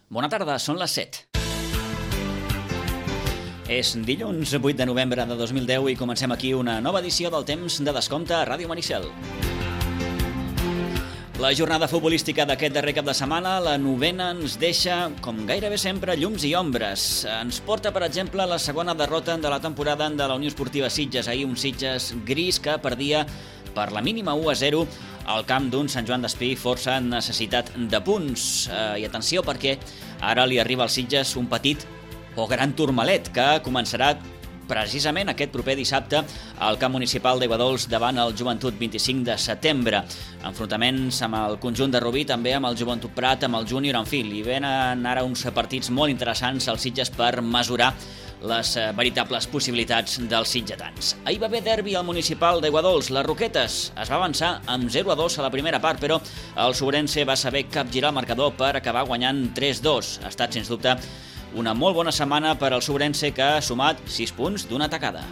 Bona tarda, són les 7. És dilluns 8 de novembre de 2010 i comencem aquí una nova edició del Temps de Descompte a Ràdio Maricel. La jornada futbolística d'aquest darrer cap de setmana, la novena, ens deixa, com gairebé sempre, llums i ombres. Ens porta, per exemple, la segona derrota de la temporada de la Unió Esportiva Sitges. Ahir un Sitges gris que perdia per la mínima 1-0 al camp d'un Sant Joan d'Espí força necessitat de punts. I atenció, perquè ara li arriba al Sitges un petit o gran turmalet que començarà precisament aquest proper dissabte al camp municipal d'Aiguadols davant el Joventut 25 de setembre. Enfrontaments amb el conjunt de Rubí, també amb el Joventut Prat, amb el Júnior, en fi, li venen ara uns partits molt interessants als Sitges per mesurar les veritables possibilitats dels sitgetans. Ahir va haver derbi al municipal d'Aiguadols. Les Roquetes es va avançar amb 0-2 a la primera part, però el Sobrense va saber capgirar el marcador per acabar guanyant 3-2. Ha estat, sens dubte, una molt bona setmana per al Sobrense, que ha sumat 6 punts d'una tacada.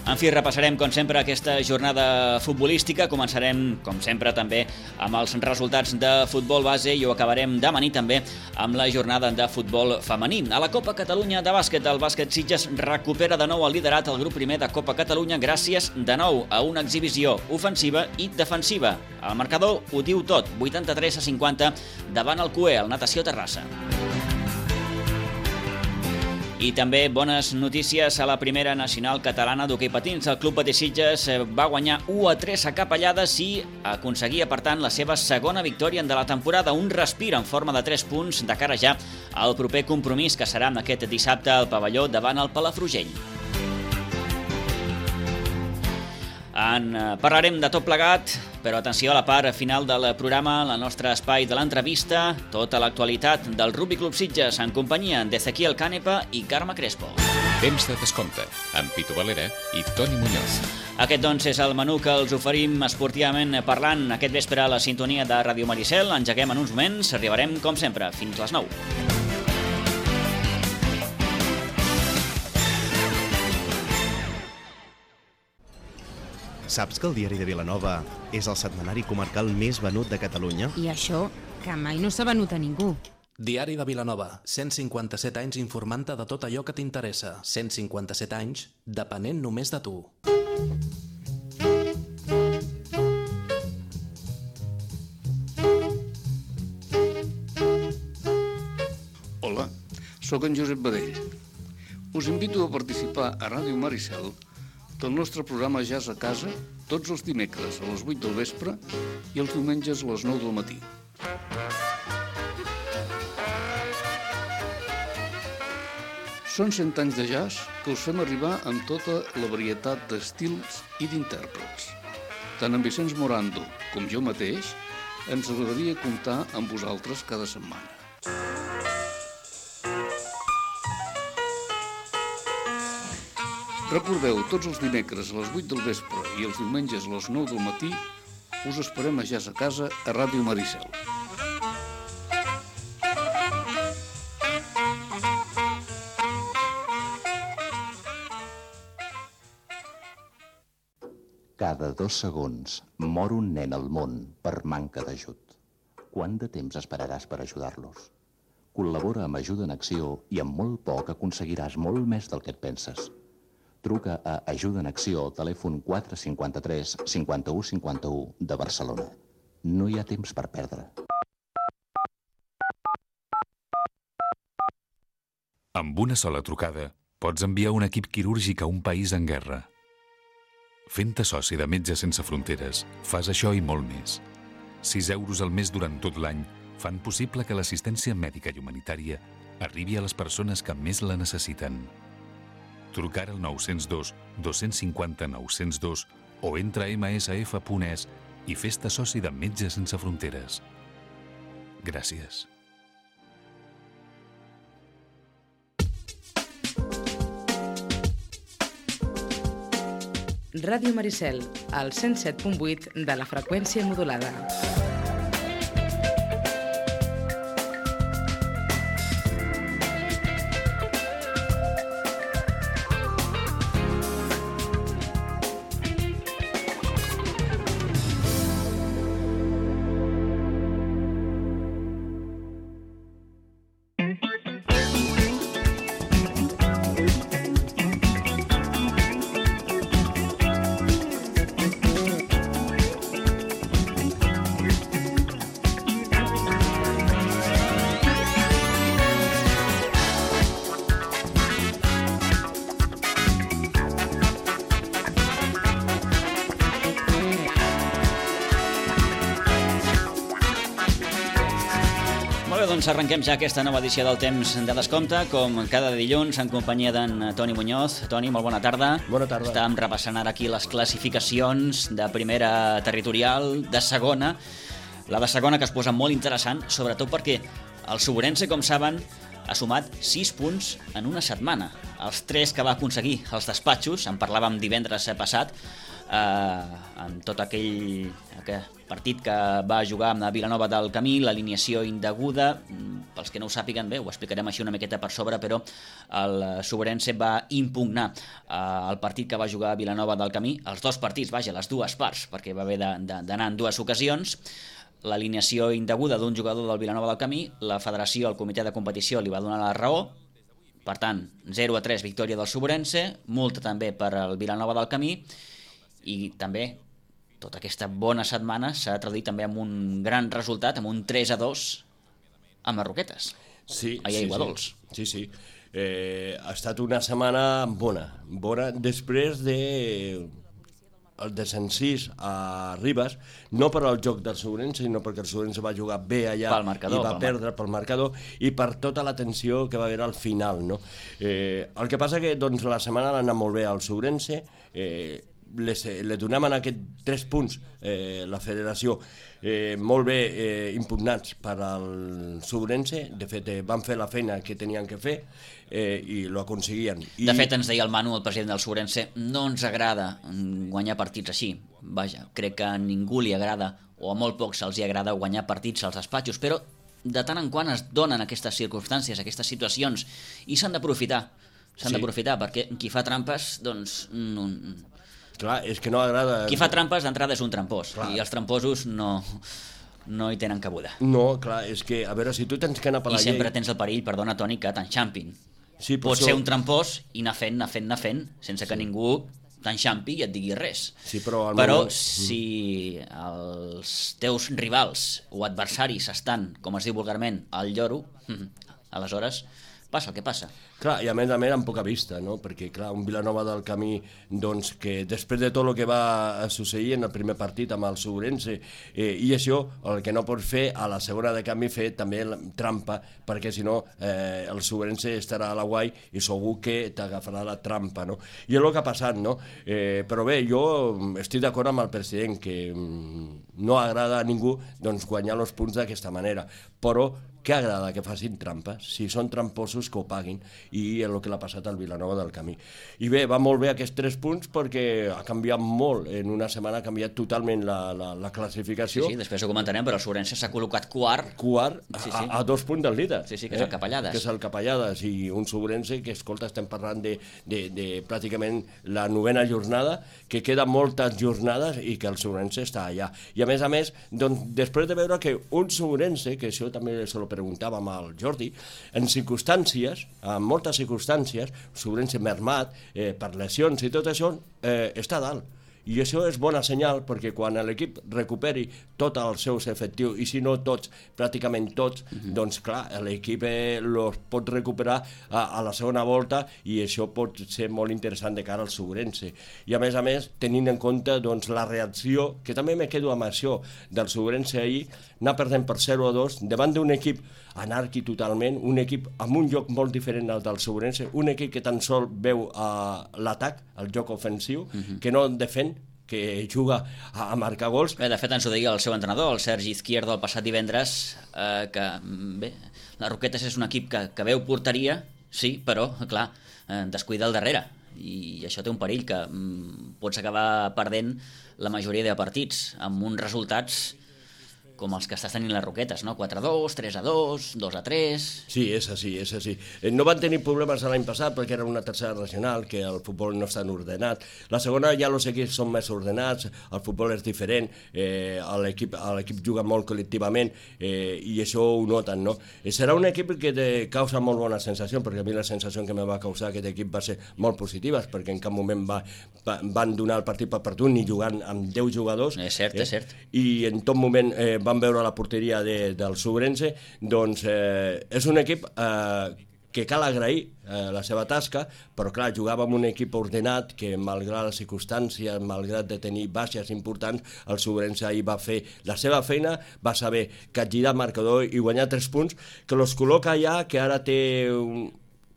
En fi, repassarem, com sempre, aquesta jornada futbolística. Començarem, com sempre, també amb els resultats de futbol base i ho acabarem demà nit també amb la jornada de futbol femení. A la Copa Catalunya de bàsquet, el bàsquet Sitges recupera de nou el liderat al grup primer de Copa Catalunya gràcies de nou a una exhibició ofensiva i defensiva. El marcador ho diu tot, 83-50 davant el CUE, el Natació Terrassa. I també bones notícies a la primera nacional catalana d'hoquei patins. El Club Patí Sitges va guanyar 1-3 a Capellades i aconseguia, per tant, la seva segona victòria de la temporada. Un respir en forma de 3 punts de cara ja al proper compromís, que serà aquest dissabte al pavelló davant el Palafrugell. En parlarem de tot plegat, però atenció a la part final del programa, el nostre espai de l'entrevista, tota l'actualitat del Rugby Club Sitges en companyia d'Ezequiel Canepa i Carme Crespo. Temps de descompte, amb Pitu Valera i Toni Muñoz. Aquest, doncs, és el menú que els oferim esportivament parlant aquest vespre a la sintonia de Ràdio Maricel. Engeguem en uns moments, arribarem, com sempre, fins les 9. Saps que el Diari de Vilanova és el setmanari comarcal més venut de Catalunya? I això, que mai no s'ha venut a ningú. Diari de Vilanova, 157 anys informant-te de tot allò que t'interessa. 157 anys depenent només de tu. Hola, sóc en Josep Badell. Us invito a participar a Ràdio Maricel del nostre programa Jazz a Casa tots els dimecres a les 8 del vespre i els diumenges a les 9 del matí. Són 100 anys de jazz que us fem arribar amb tota la varietat d'estils i d'intèrprets. Tant en Vicenç Morando com jo mateix ens agradaria comptar amb vosaltres cada setmana. Recordeu, tots els dimecres a les 8 del vespre i els diumenges a les 9 del matí us esperem a Jazz a Casa a Ràdio Maricel. Cada 2 segons mor un nen al món per manca d'ajut. Quant de temps esperaràs per ajudar-los? Col·labora amb Ajuda en Acció i amb molt poc aconseguiràs molt més del que et penses. Truca a Ajuda en Acció, telèfon 453 51 51 de Barcelona. No hi ha temps per perdre. Amb una sola trucada, pots enviar un equip quirúrgic a un país en guerra. Fent-te soci de Metges Sense Fronteres, fas això i molt més. 6 euros al mes durant tot l'any fan possible que l'assistència mèdica i humanitària arribi a les persones que més la necessiten. Trucar al 902 250 902 o entra a msf.es i fes-te soci de Metges Sense Fronteres. Gràcies. Ràdio Maricel, al 107.8 de la freqüència modulada. Molt bé, doncs arrenquem ja aquesta nova edició del Temps de Descompte, com cada dilluns, en companyia d'en Toni Muñoz. Toni, molt bona tarda. Bona tarda. Estàvem repassant ara aquí les classificacions de primera territorial, de segona. La de segona que es posa molt interessant, sobretot perquè el Suburense, com saben, ha sumat 6 punts en una setmana. Els 3 que va aconseguir als despatxos, en parlàvem divendres passat, en tot aquell partit que va jugar amb la Vilanova del Camí, l'alineació indeguda, pels que no ho sàpiguen bé, ho explicarem així una miqueta per sobre, però el Suburense va impugnar el partit que va jugar a Vilanova del Camí, els 2 partits, vaja, les 2 parts, perquè va haver d'anar en 2 ocasions, l'alineació indeguda d'un jugador del Vilanova del Camí, la federació, el comitè de competició li va donar la raó, per tant, 0-3 victòria del Suburense, multa també per al Vilanova del Camí, i també tota aquesta bona setmana s'ha traduït també amb un gran resultat, amb un 3-2 a Marroquetes, a Aiguadols. Sí. Ha estat una setmana bona després de el desencís a Ribes, no per al joc del Suburense, sinó perquè el Suburense va jugar bé allà i va perdre pel marcador i per tota la tensió que va haver al final, no? El que passa que doncs, la setmana l'ha anat molt bé al Suburense, li donem en aquests 3 punts la federació molt bé impugnats per al Suburense. De fet van fer la feina que tenien que fer i ho aconseguien. De fet ens deia el Manu, el president del Suburense, no ens agrada guanyar partits així, vaja, crec que a ningú li agrada o a molt pocs els hi agrada guanyar partits als despatxos, però de tant en quant es donen aquestes circumstàncies, aquestes situacions, i s'han d'aprofitar perquè qui fa trampes doncs clar, és que no agrada... Qui fa trampes d'entrada és un trampós, i els tramposos no hi tenen cabuda. No, clar, és que, a veure, si tu tens que anar per la llei... I sempre tens el perill, perdona, Toni, que t'enxampin. Sí, pot ser un trampós i anar fent, sense que ningú t'enxampi i et digui res. Sí, però si els teus rivals o adversaris estan, com es diu vulgarment, al lloro, aleshores passa el que passa. Clar, i a més amb poca vista, no? Perquè, clar, un Vilanova del Camí, doncs, que després de tot el que va succeir en el primer partit amb el Suburense, i això, el que no pots fer a la segona de canvi, fer també trampa, perquè si no el Suburense estarà a la guai i segur que t'agafarà la trampa, no? I és el que ha passat, no? Però bé, jo estic d'acord amb el president, que no agrada a ningú doncs, guanyar els punts d'aquesta manera, però què agrada que facin trampes? Si són tramposos, que ho paguin, i és el que l'ha passat al Vilanova del Camí. I bé, va molt bé aquests 3 punts perquè ha canviat molt, en una setmana ha canviat totalment la classificació. Sí, després ho comentarem, però el Suburense s'ha col·locat quart a 2 punts del líder. Sí, que és el Capellades. Que és el Capellades, i un Suburense que, escolta, estem parlant de pràcticament la 9ª jornada, que queden moltes jornades i que el Suburense està allà. I a més, doncs, després de veure que un Suburense, que això també se lo preguntàvem al Jordi, en moltes circumstàncies, Suburense mermat, per lesions i tot això, està a dalt. I això és bona senyal, perquè quan l'equip recuperi tots els seus efectius, i si no tots, pràcticament tots, doncs clar, l'equip els pot recuperar a la segona volta, i això pot ser molt interessant de cara al Suburense. I a més, tenint en compte doncs, la reacció, que també me quedo amb això, del Suburense ahir, anar perdent per 0-2, davant d'un equip anàrquic totalment, un equip amb un joc molt diferent al del Suburense, un equip que tan sol veu l'atac, el joc ofensiu, que no defèn, que juga a marcar gols. Bé, de fet, ens ho deia el seu entrenador, el Sergi Izquierdo, el passat divendres, que bé, la Roquetes és un equip que veu porteria, sí, però, clar, descuida al darrere, i això té un perill, que pots acabar perdent la majoria de partits, amb uns resultats com els que estàs tenint les Roquetes, no? 4-2, 3-2, 2-3... Sí, és així. No van tenir problemes l'any passat perquè era una tercera regional, que el futbol no està ordenat. La segona ja els equips són més ordenats, el futbol és diferent, l'equip juga molt col·lectivament i això ho noten, no? Serà un equip que te causa molt bona sensació, perquè a mi la sensació que me va causar aquest equip va ser molt positiva, perquè en cap moment van donar el partit per perdut ni jugant amb 10 jugadors. És cert. I en tot moment van veure la porteria del Suburense, doncs és un equip que cal agrair la seva tasca, però clar, jugava amb un equip ordenat que malgrat les circumstàncies, malgrat de tenir baixes importants, el Sobrense ahir va fer la seva feina, va saber capgirar marcador i guanyar 3 punts, que los col·loca allà, que ara té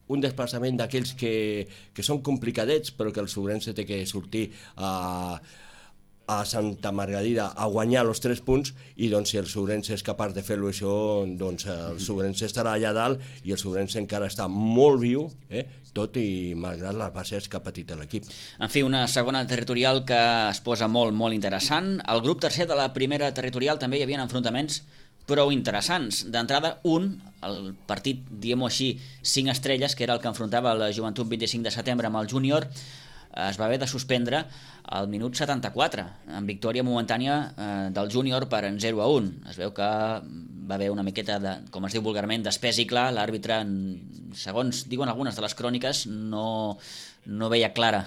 un desplaçament d'aquells que són complicadets, però que el Sobrense té que sortir a Santa Margarida a guanyar els 3 punts, i doncs si el Sobrense és capaç de fer-lo això, doncs el Sobrense estarà allà dalt, i el Sobrense encara està molt viu, tot i malgrat les bases que ha patit l'equip. En fi, una segona territorial que es posa molt, molt interessant. Al grup tercer de la primera territorial també hi havia enfrontaments prou interessants. D'entrada, el partit, diguem-ho així, 5 estrelles, que era el que enfrontava la Joventut 25 de setembre amb el Júnior, es va haver de suspendre al minut 74, en victòria momentània del Júnior per 0-1. Es veu que va haver una miqueta de, com es diu vulgarment, d'espès i clar. L'àrbitre, segons diuen algunes de les cròniques, no veia clara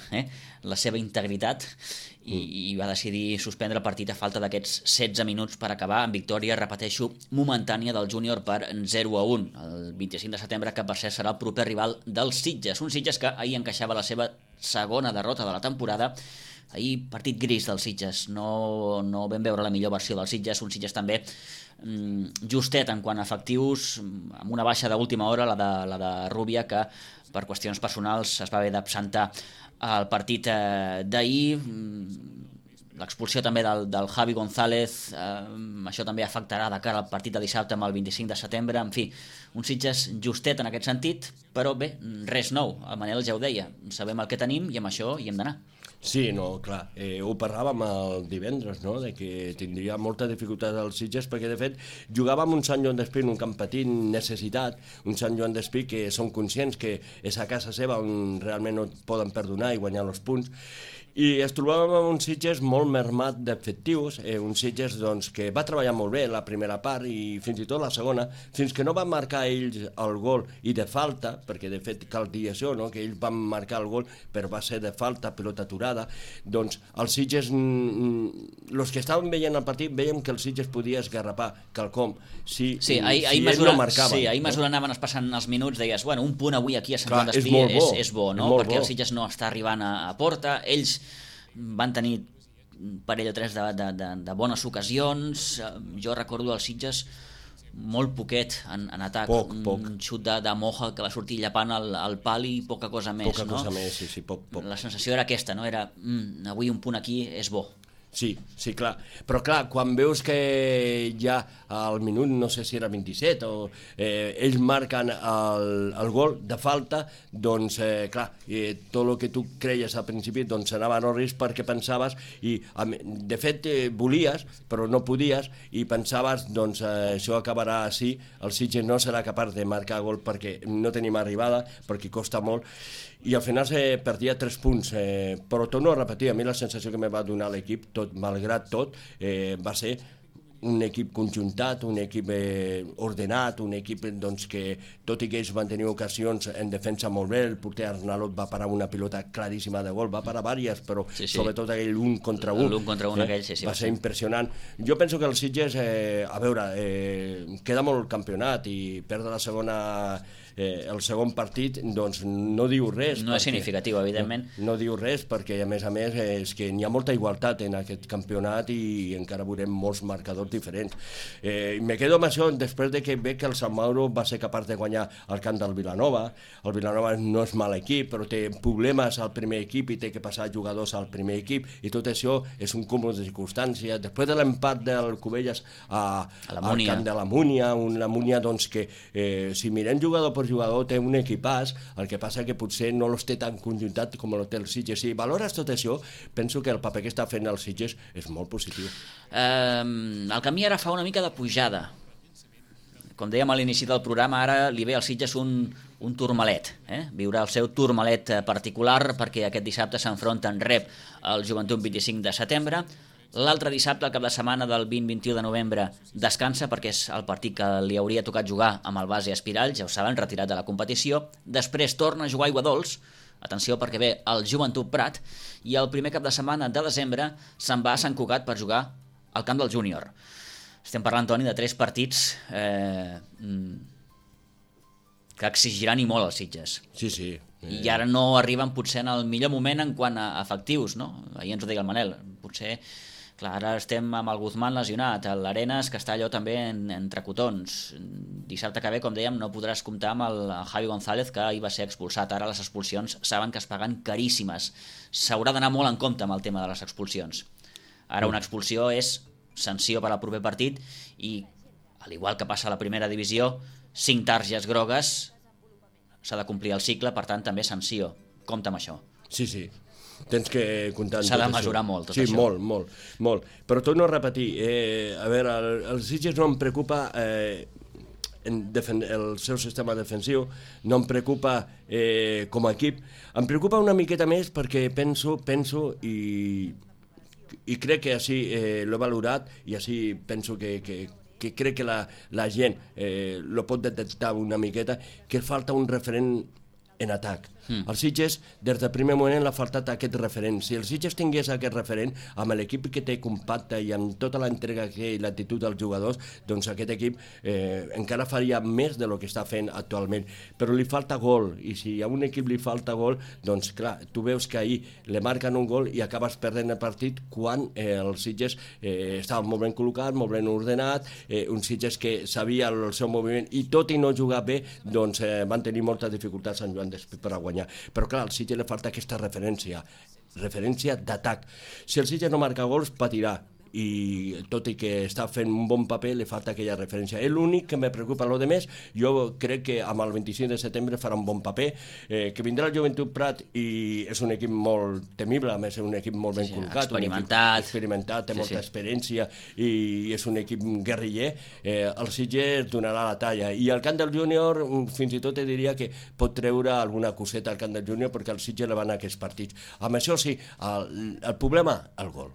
la seva integritat i va decidir suspendre el partit a falta d'aquests 16 minuts per acabar en victòria, repeteixo, momentània del Júnior per 0-1. El 25 de setembre, que per cert serà el proper rival dels Sitges. Un Sitges que ahir encaixava la seva segona derrota de la temporada. Ahir partit gris dels Sitges, no vam veure la millor versió dels Sitges, un Sitges també justet en quant a efectius, amb una baixa d'última hora, la de Rubia, que per qüestions personals es va haver d'absentar al partit d'ahir. L'expulsió també del Javi González, això també afectarà de cara al partit de dissabte amb el 25 de setembre. En fi, un Sitges justet en aquest sentit, però bé, res nou. El Manel ja ho deia, sabem el que tenim i amb això hi hem d'anar. Sí, no, clar, ho parlàvem el divendres, no?, de que tindria molta dificultat als Sitges, perquè de fet jugava amb un Sant Joan d'Espí en un camp petit, necessitat, un Sant Joan d'Espí que són conscients que és a casa seva on realment no poden perdonar i guanyar els punts, i es trobàvem amb un Sitges molt mermat d'efectius, un Sitges doncs, que va treballar molt bé la primera part i fins i tot la segona, fins que no van marcar ells el gol i de falta, perquè de fet cal dir això, no?, que ells van marcar el gol però va ser de falta, pilota aturada. Doncs els Sitges, els que estaven veient el partit, veiem que el Sitges podia esgarrapar quelcom si ells no marcaven. Sí, ahir mesura anaven passant els minuts, deies, bueno, un punt avui aquí a Sant Joan d'Espí és bo, no?, perquè el Sitges no està arribant a porta. Ells van tenir un parell o tres de bones ocasions. Jo recordo els Sitges molt poquet en atac, un xut de Moja que va sortir llapant al pal i poca cosa més. Cosa més, sí, poc. La sensació era aquesta, no? Era, avui un punt aquí és bo. Sí, clar. Però clar, quan veus que ja al minut, no sé si era 27, o ells marquen el gol de falta, doncs clar, tot el que tu creies al principi doncs anava a no risc perquè pensaves, i de fet volies, però no podies, i pensaves, doncs això acabarà així, el Sitges no serà capaç de marcar gol perquè no tenim arribada, perquè costa molt, i al final se perdia 3 punts, però torno a repetir, a mi la sensació que me va donar l'equip, malgrat tot, va ser un equip conjuntat, un equip ordenat, un equip doncs, que tot i que ells van tenir ocasions en defensa molt bé, el porter Arnalot va parar una pilota claríssima de gol, va parar diverses, però sobretot aquell 1 contra 1, va ser impressionant. Jo penso que el Sitges, a veure, queda molt campionat i perdre la segona el segon partit, doncs no diu res. No és significatiu, evidentment. No diu res, perquè a més és que n'hi ha molta igualtat en aquest campionat i encara veurem molts marcadors diferents. Me quedo amb això després de que veig que el Sant Mauro va ser capaç de guanyar el camp del Vilanova. El Vilanova no és mal equip, però té problemes al primer equip i té que passar jugadors al primer equip, i tot això és un cúmul de circumstàncies. Després de l'empat del Cubelles al camp de la Múnia, una Múnia doncs, que si mirem jugador per jugador té un equipàs, el que passa que potser no los té tan conjuntat com el té el Sitges. Si valores tot això, penso que el paper que està fent el Sitges és molt positiu. El camí ara fa una mica de pujada. Com dèiem a l'inici del programa, ara li ve al Sitges un turmalet. Viurà el seu turmalet particular perquè aquest dissabte s'enfronta en rep el Joventut 25 de setembre. L'altre dissabte, el cap de setmana del 20-21 de novembre, descansa perquè és el partit que li hauria tocat jugar amb el base Espirall, ja ho saben, retirat de la competició. Després torna a jugar a Aiguadols, atenció perquè ve el Joventut Prat, i el primer cap de setmana de desembre se'n va a Sant Cugat per jugar al camp del Júnior. Estem parlant, Toni, de 3 partits que exigiran i molt els Sitges. Sí. I ara no arriben potser en el millor moment en quant a efectius, no? Ahir ens ho deia el Manel, potser, clar, ara estem amb el Guzmán lesionat, l'Arenas que està allò també entre cotons. Dissabte que ve, com dèiem, no podràs comptar amb el Javi González, que ahir va ser expulsat. Ara les expulsions saben que es paguen caríssimes. S'haurà d'anar molt en compte amb el tema de les expulsions. Ara una expulsió és sanció per al proper partit i, al igual que passa a la primera divisió, 5 targes grogues, s'ha de complir el cicle, per tant també sanció. Compte amb això. Sí. Tens que comptar amb tot això. S'ha de mesurar molt, tot això. això. Sí, molt. Però torno a repetir, a veure, els Sitges no em preocupa el seu sistema defensiu, no em preocupa com a equip, em preocupa una miqueta més perquè penso i crec que així l'he valorat i així penso que crec que la gent lo pot detectar una miqueta, que falta un referent en atac. Els Sitges, des del primer moment, l'ha faltat aquest referent. Si els Sitges tingués aquest referent, amb l'equip que té compacte i amb tota l'entrega que té i l'actitud dels jugadors, doncs aquest equip encara faria més del que està fent actualment. Però li falta gol, i si a un equip li falta gol, doncs clar, tu veus que ahir li marquen un gol i acabes perdent el partit quan els Sitges estaven molt ben col·locats, molt ben ordenat, uns Sitges que sabia el seu moviment i tot i no jugar bé, doncs van tenir moltes dificultats en Joan Despí per a guanyar. Però clar, al Sitges li falta aquesta referència d'atac. Si el Sitges no marca gols, patirà, i tot i que està fent un bon paper li falta aquella referència. És l'únic que me preocupa. Lo de més, jo crec que amb el 25 de setembre farà un bon paper, que vindrà el Joventut Prat i és un equip molt temible, a més és un equip molt ben col·locat, experimentat, té molta experiència i és un equip guerriller. El Sitges donarà la talla, i al camp del júnior fins i tot te diria que pot treure alguna coseta al camp del júnior, perquè el Sitges le van a aquests partits. Amb això sí, el problema, el gol.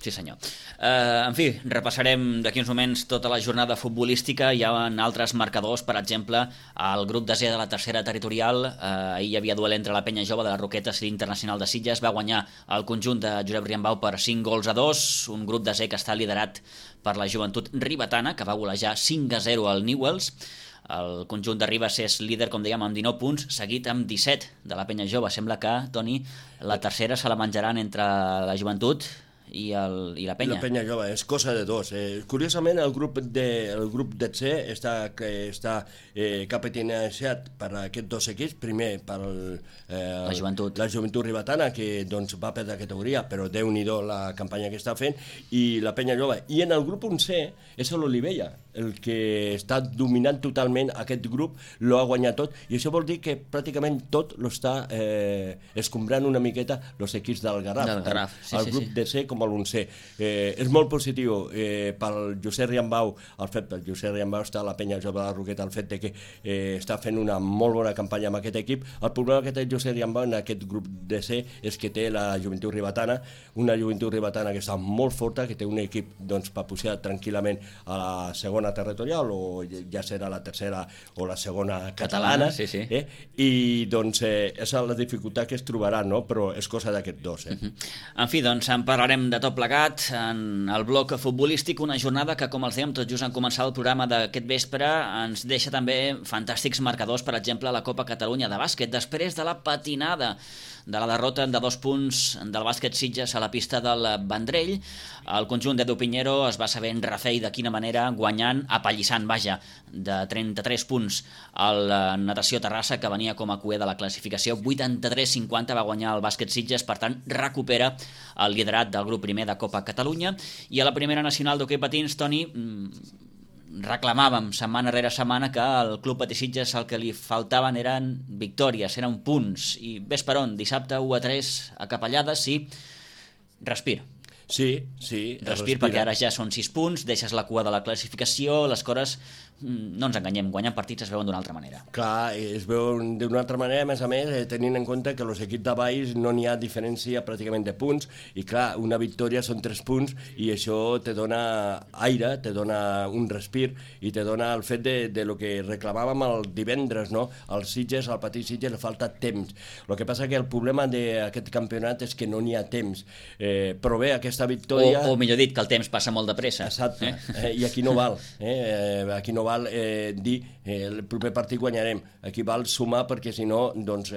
Sí, senyor. En fi, repassarem d'aquí uns moments tota la jornada futbolística. Hi ha altres marcadors, per exemple, el grup de C de la tercera territorial. Ahir hi havia duel entre la Penya Jove de les Roquetes i l'Internacional de Sitges. Va guanyar el conjunt de Josep Riambau per 5-2, un grup de C que està liderat per la Joventut Ribetana, que va golejar 5-0 al Newells. El conjunt de Ribes és líder, com dèiem, amb 19 punts, seguit amb 17 de la Penya Jove. Sembla que, Toni, la tercera se la menjaran entre la Joventut i la Penya. La Penya Jove, és cosa de dos. Curiosament, el grup de C està capitanejat per aquests dos equips. Primer per la Joventut Ribetana, que doncs, va perdre categoria, però Déu-n'hi-do la campanya que està fent, i la Penya Jove. I en el grup 11 és l'Olivella, el que està dominant totalment aquest grup, lo ha guanyat tot, i això vol dir que pràcticament tot lo està escombrant una miqueta els equips del Garraf. El grup de C com a l'11. És molt positiu pel Josep Riambau, el fet del Josep Riambau està a la Penya Jove de la Roqueta, el fet de que està fent una molt bona campanya amb aquest equip. El problema que té el Josep Riambau en aquest grup de C és que té la Joventut Ribetana, una Joventut Ribetana que està molt forta, que té un equip doncs, per pujar tranquil·lament a la segona territorial, o ja serà la tercera o la segona catalana. I doncs és la dificultat que es trobarà, no? Però és cosa d'aquests dos. En fi, doncs en parlarem de tot plegat en el bloc futbolístic, una jornada que, com els dèiem tot just en començar el programa d'aquest vespre, ens deixa també fantàstics marcadors, per exemple la Copa Catalunya de bàsquet, després de la patinada de la derrota de 2 punts del bàsquet Sitges a la pista del Vendrell. El conjunt d'Edu Piñero es va saber en refer i de quina manera, guanyant, apallissant, de 33 punts al Natació Terrassa, que venia com a cuer de la classificació. 83-50 va guanyar el bàsquet Sitges, per tant recupera el liderat del grup primer de Copa Catalunya. I a la primera nacional d'hoquei patins, Toni, reclamàvem setmana rere setmana que al Club Patí Sitges el que li faltaven eren victòries, eren punts, i ves per on, dissabte 1-3 a Capellades, sí, respir. Sí. Respir, perquè ara ja són 6 punts, deixes la cua de la classificació, les coses, no ens enganyem, guanyant partits es veuen d'una altra manera. Clar, es veuen d'una altra manera, a més, tenint en compte que els equips de baix no n'hi ha diferència pràcticament de punts, i clar, una victòria són 3 punts, i això te dona aire, te dona un respir, i te dona el fet de lo que reclamàvem el divendres, no? Al Sitges, al Patí Sitges, li falta temps. El que passa que el problema d'aquest campionat és que no n'hi ha temps. Però bé, aquesta aquesta victòria... O millor dit, que el temps passa molt de pressa. Exacte, i aquí no val. Aquí no val dir el proper partit guanyarem. Aquí val sumar perquè si no doncs,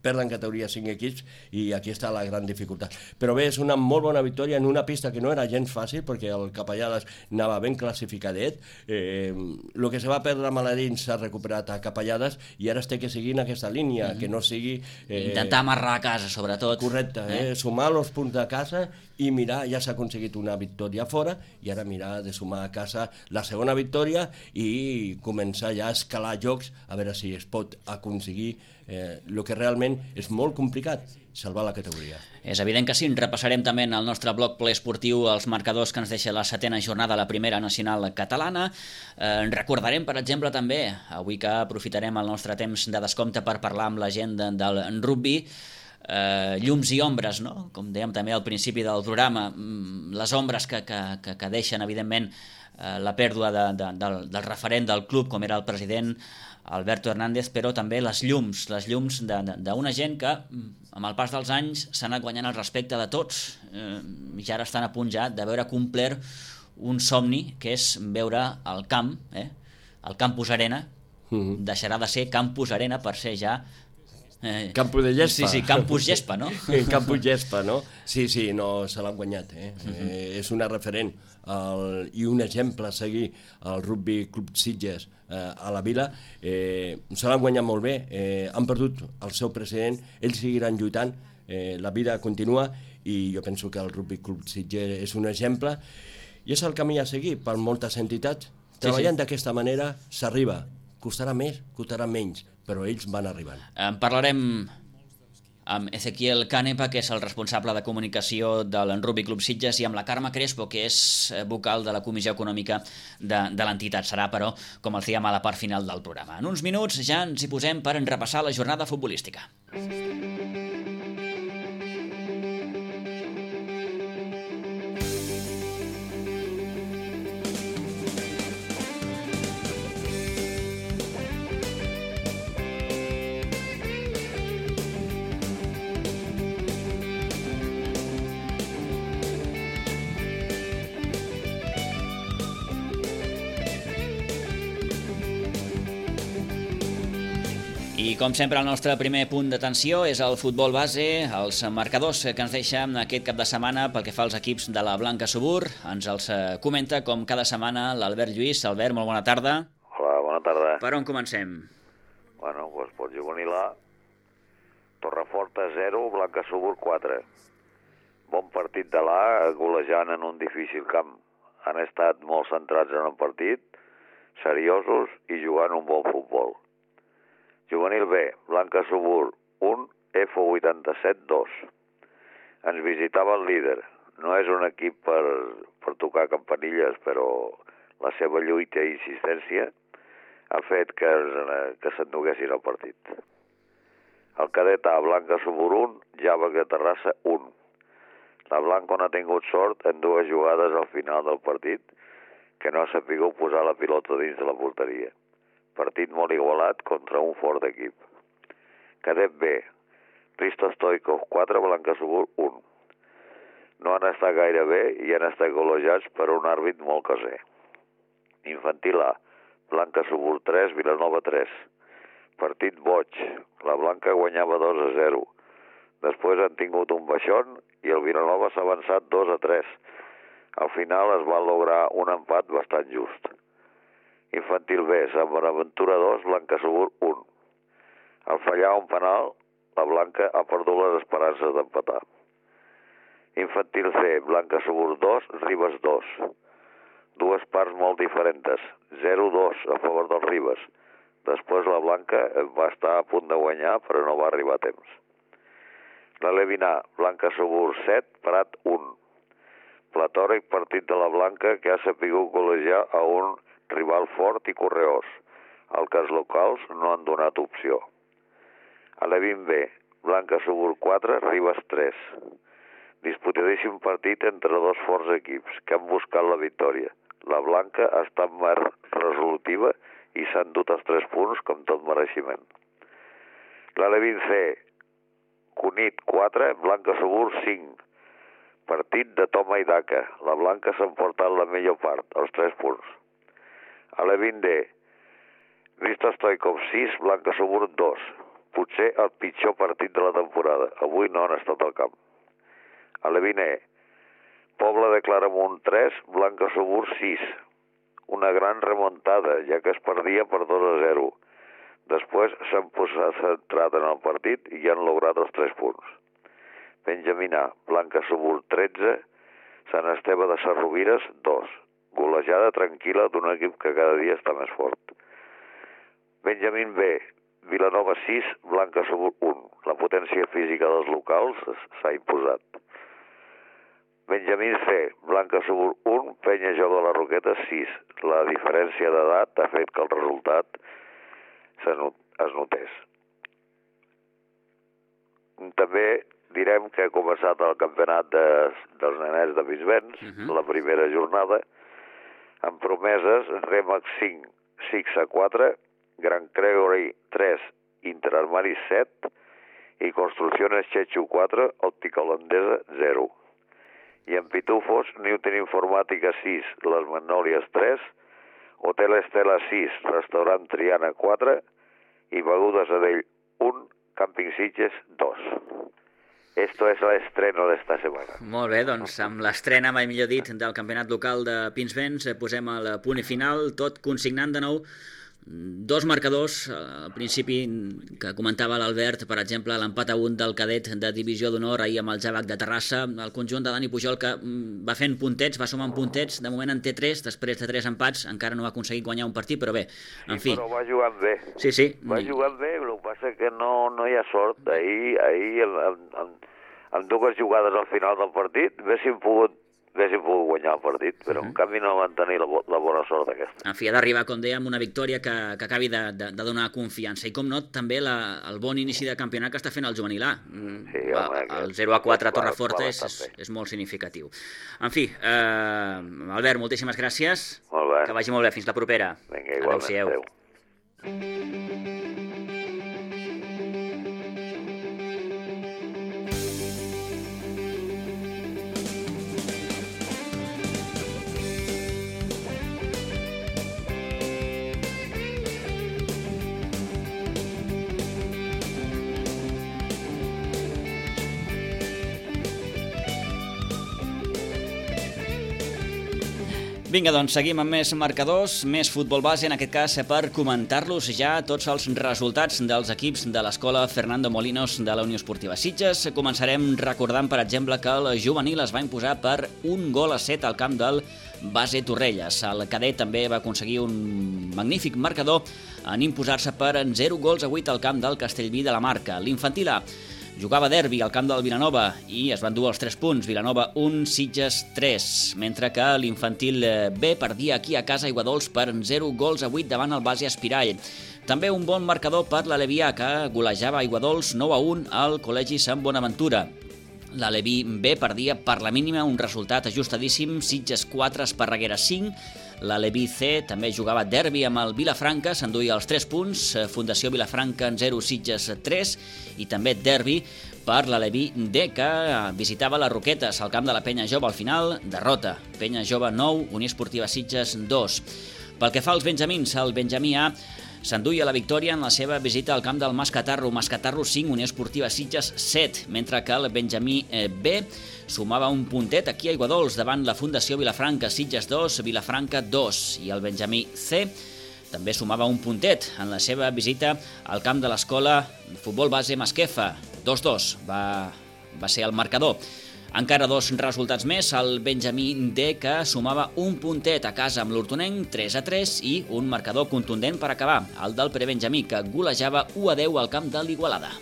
perden categoria 5 equips i aquí està la gran dificultat. Però bé, és una molt bona victòria en una pista que no era gens fàcil perquè el Capellades anava ben classificadet. El que se va perdre a Maladins s'ha recuperat a Capellades i ara es té que seguir en aquesta línia, que no sigui... Intentar amarrar a casa, sobretot. Correcte, sumar els punts de casa i mirar, ja s'ha aconseguit una victòria fora i ara mirar de sumar a casa la segona victòria i començar ja a escalar jocs a veure si es pot aconseguir el que realment és molt complicat, salvar la categoria. És evident que sí, repassarem també en el nostre blog ple esportiu els marcadors que ens deixa la 7ª jornada de la primera nacional catalana. Recordarem, per exemple, també, avui que aprofitarem el nostre temps de descompte per parlar amb la gent del rugby, llums i ombres, no? Com dèiem també al principi del programa, les ombres que deixen, evidentment, la pèrdua del referent del club, com era el president Alberto Hernández, però també les llums d'una gent que, amb el pas dels anys, s'ha anat guanyant el respecte de tots i ara estan a punt ja de veure complert un somni, que és veure el camp, el Campus Arena, deixarà de ser Campus Arena per ser ja Campus de Gespa. Sí, Campus Gespa, no? Campus Gespa, no? Sí, no, se l'han guanyat. És una referent i un exemple a seguir al Rugby Club Sitges a la vila. Se l'han guanyat molt bé, han perdut el seu president, ells seguiran lluitant, la vida continua i jo penso que el Rugby Club Sitges és un exemple i és el camí a seguir per moltes entitats. Treballant d'aquesta manera s'arriba. Costarà més, costarà menys, però ells van arribant. Parlarem amb Ezequiel Canepa, que és el responsable de comunicació del Rugby Club Sitges, i amb la Carme Crespo, que és vocal de la Comissió Econòmica de l'entitat. Serà, però, com els diem, a la part final del programa. En uns minuts ja ens hi posem per repassar la jornada futbolística. I com sempre el nostre primer punt d'atenció és el futbol base, els marcadors que ens deixa aquest cap de setmana pel que fa als equips de la Blanca Subur. Ens els comenta com cada setmana l'Albert Lluís. Albert, molt bona tarda. Hola, bona tarda. Per on comencem? Bueno, doncs pel juvenil A, Torreforta 0, Blanca Subur 4. Bon partit de l'A, golejant en un difícil camp. Han estat molt centrats en el partit, seriosos i jugant un bon futbol. Juvenil B, Blanca Subur 1, F87 2. Ens visitava el líder. No és un equip per tocar campanilles, però la seva lluita i insistència ha fet que s'enduguessin el partit. El cadet A, Blanca Subur 1, Java de Terrassa 1. La Blanca no ha tingut sort en dues jugades al final del partit que no ha sapigut posar la pilota dins de la porteria. Partit molt igualat contra un fort equip. Cadet B, Risto Stoikov 4, Blanca Subur 1. No han estat gaire bé i han estat golejats per un àrbit molt caser. Infantil A, Blanca Subur 3, Vilanova 3. Partit boig. La Blanca guanyava 2-0. Després han tingut un baixón i el Vilanova s'ha avançat 2-3. Al final es va lograr un empat bastant just. Infantil B, Sant Bonaventura 2, Blanca Subur 1. Al fallar un penal, la Blanca ha perdut les esperances d'empatar. Infantil C, Blanca Subur 2, Ribes 2. Dues parts molt diferents, 0-2 a favor del Ribes. Després la Blanca va estar a punt de guanyar, però no va arribar a temps. La Levin A, Blanca Subur 7, Prat 1. Platòric partit de la Blanca que ha sapigut golejar a un rival fort i correós. Els que els locals no han donat opció. A l'Evin B, Blanca Subur 4, Ribes 3. Disputadíssim partit entre dos forts equips que han buscat la victòria. La Blanca ha estat més resolutiva i s'han dut els 3 punts com tot mereixement. La Levin C, Cunit 4, Blanca Subur 5. partit de toma i daca. La blanca s'ha emportat la millor part, els 3 punts. A l'E20 D, Risto Stoikov 6, Blanca Subur 2. Potser el pitjor partit de la temporada. Avui no han estat al camp. A l'E20 E, Pobla de Claramunt 3, Blanca Subur 6. Una gran remuntada, ja que es perdia per 2-0. Després s'han posat centrat en el partit i han lograt els 3 punts. Benjamina, Blanca Subur 13, Sant Esteve de Sarrovires 2. Golejada tranquil·la d'un equip que cada dia està més fort. Benjamín B, Vilanova 6, Blanca Subur 1. La potència física dels locals s'ha imposat. Benjamín C, Blanca Subur 1, Penya Jove de la Roqueta 6. La diferència d'edat ha fet que el resultat es notés. També direm que ha començat el campionat dels nenets de Bisbens, la primera jornada, amb promeses Remax 5, 6-4, Gran Gregory 3, Interarmari 7 i Construcciones Chechu 4, Òptica Holandesa 0. I en Pitufos, Newton Informàtica 6, Les Magnòlies 3, Hotel Estela 6, Restaurant Triana 4 i Begudes Adell 1, Camping Sitges 2. Esto es el estreno d'esta setmana. Molt bé, doncs amb l'estrena, mai millor dit, del campionat local de Pinsbens posem el punt i final, tot consignant de nou 2 marcadors, al principi que comentava l'Albert, per exemple, l'empat a 1 del cadet de divisió d'honor ahir amb el Javac de Terrassa, el conjunt de Dani Pujol que va fent puntets, va sumant puntets, de moment en té 3, després de 3 empats, encara no ha aconseguit guanyar un partit, però bé, en fi. Però va jugant bé. Sí. Va jugant bé, el que passa que no hi ha sort. Ahir amb 2 jugades al final del partit, haguéssim pogut guanyar el partit, però en canvi no van tenir la bona sort aquesta. En fi, ha d'arribar, com dèiem, una victòria que acabi de donar confiança. I com no, també el bon inici de campionat que està fent el juvenil A. El 0-4 a Torreforta és molt significatiu. En fi, Albert, moltíssimes gràcies. Molt bé. Que vagi molt bé. Fins la propera. Vinga, igualment. Adéu. Vinga, doncs seguim amb més marcadors, més futbol base, en aquest cas per comentar-los ja tots els resultats dels equips de l'escola Fernando Molinos de la Unió Esportiva Sitges. Començarem recordant, per exemple, que el juvenil es va imposar per 1-7 al camp del Base Torrelles. El cadet també va aconseguir un magnífic marcador en imposar-se per 0-8 al camp del Castellví de la Marca. L'infantil A jugava derbi al camp del Vilanova i es van dur els 3 punts, Vilanova 1, Sitges 3, mentre que l'infantil B perdia aquí a casa Aiguadols per 0-8 davant el Base Espirall. També un bon marcador per l'Alevià, que golejava Aiguadols 9-1 al Col·legi Sant Bonaventura. L'Aleví B perdia per la mínima, un resultat ajustadíssim, Sitges 4, Esparreguera 5. L'Aleví C també jugava derbi amb el Vilafranca, s'enduia els 3 punts, Fundació Vilafranca 0, Sitges 3, i també derbi per l'Aleví D, que visitava les Roquetes al camp de la Penya Jove. Al final, derrota, Penya Jove 9, Unió Esportiva Sitges 2. Pel que fa als benjamins, el Benjamí A s'enduia la victòria en la seva visita al camp del Mascatarro, Mascatarro 5, Unió Esportiva Sitges 7, mentre que el Benjamí B sumava un puntet aquí a Aiguadols davant la Fundació Vilafranca, Sitges 2, Vilafranca 2, i el Benjamí C també sumava un puntet en la seva visita al camp de l'escola Futbol Base Masquefa, 2-2 va ser el marcador. Encara 2 resultats més, el Benjamí D, que sumava un puntet a casa amb l'Hortonenc, 3-3, i un marcador contundent per acabar, el del Prebenjamí, que golejava 1-10 al camp de l'Igualada.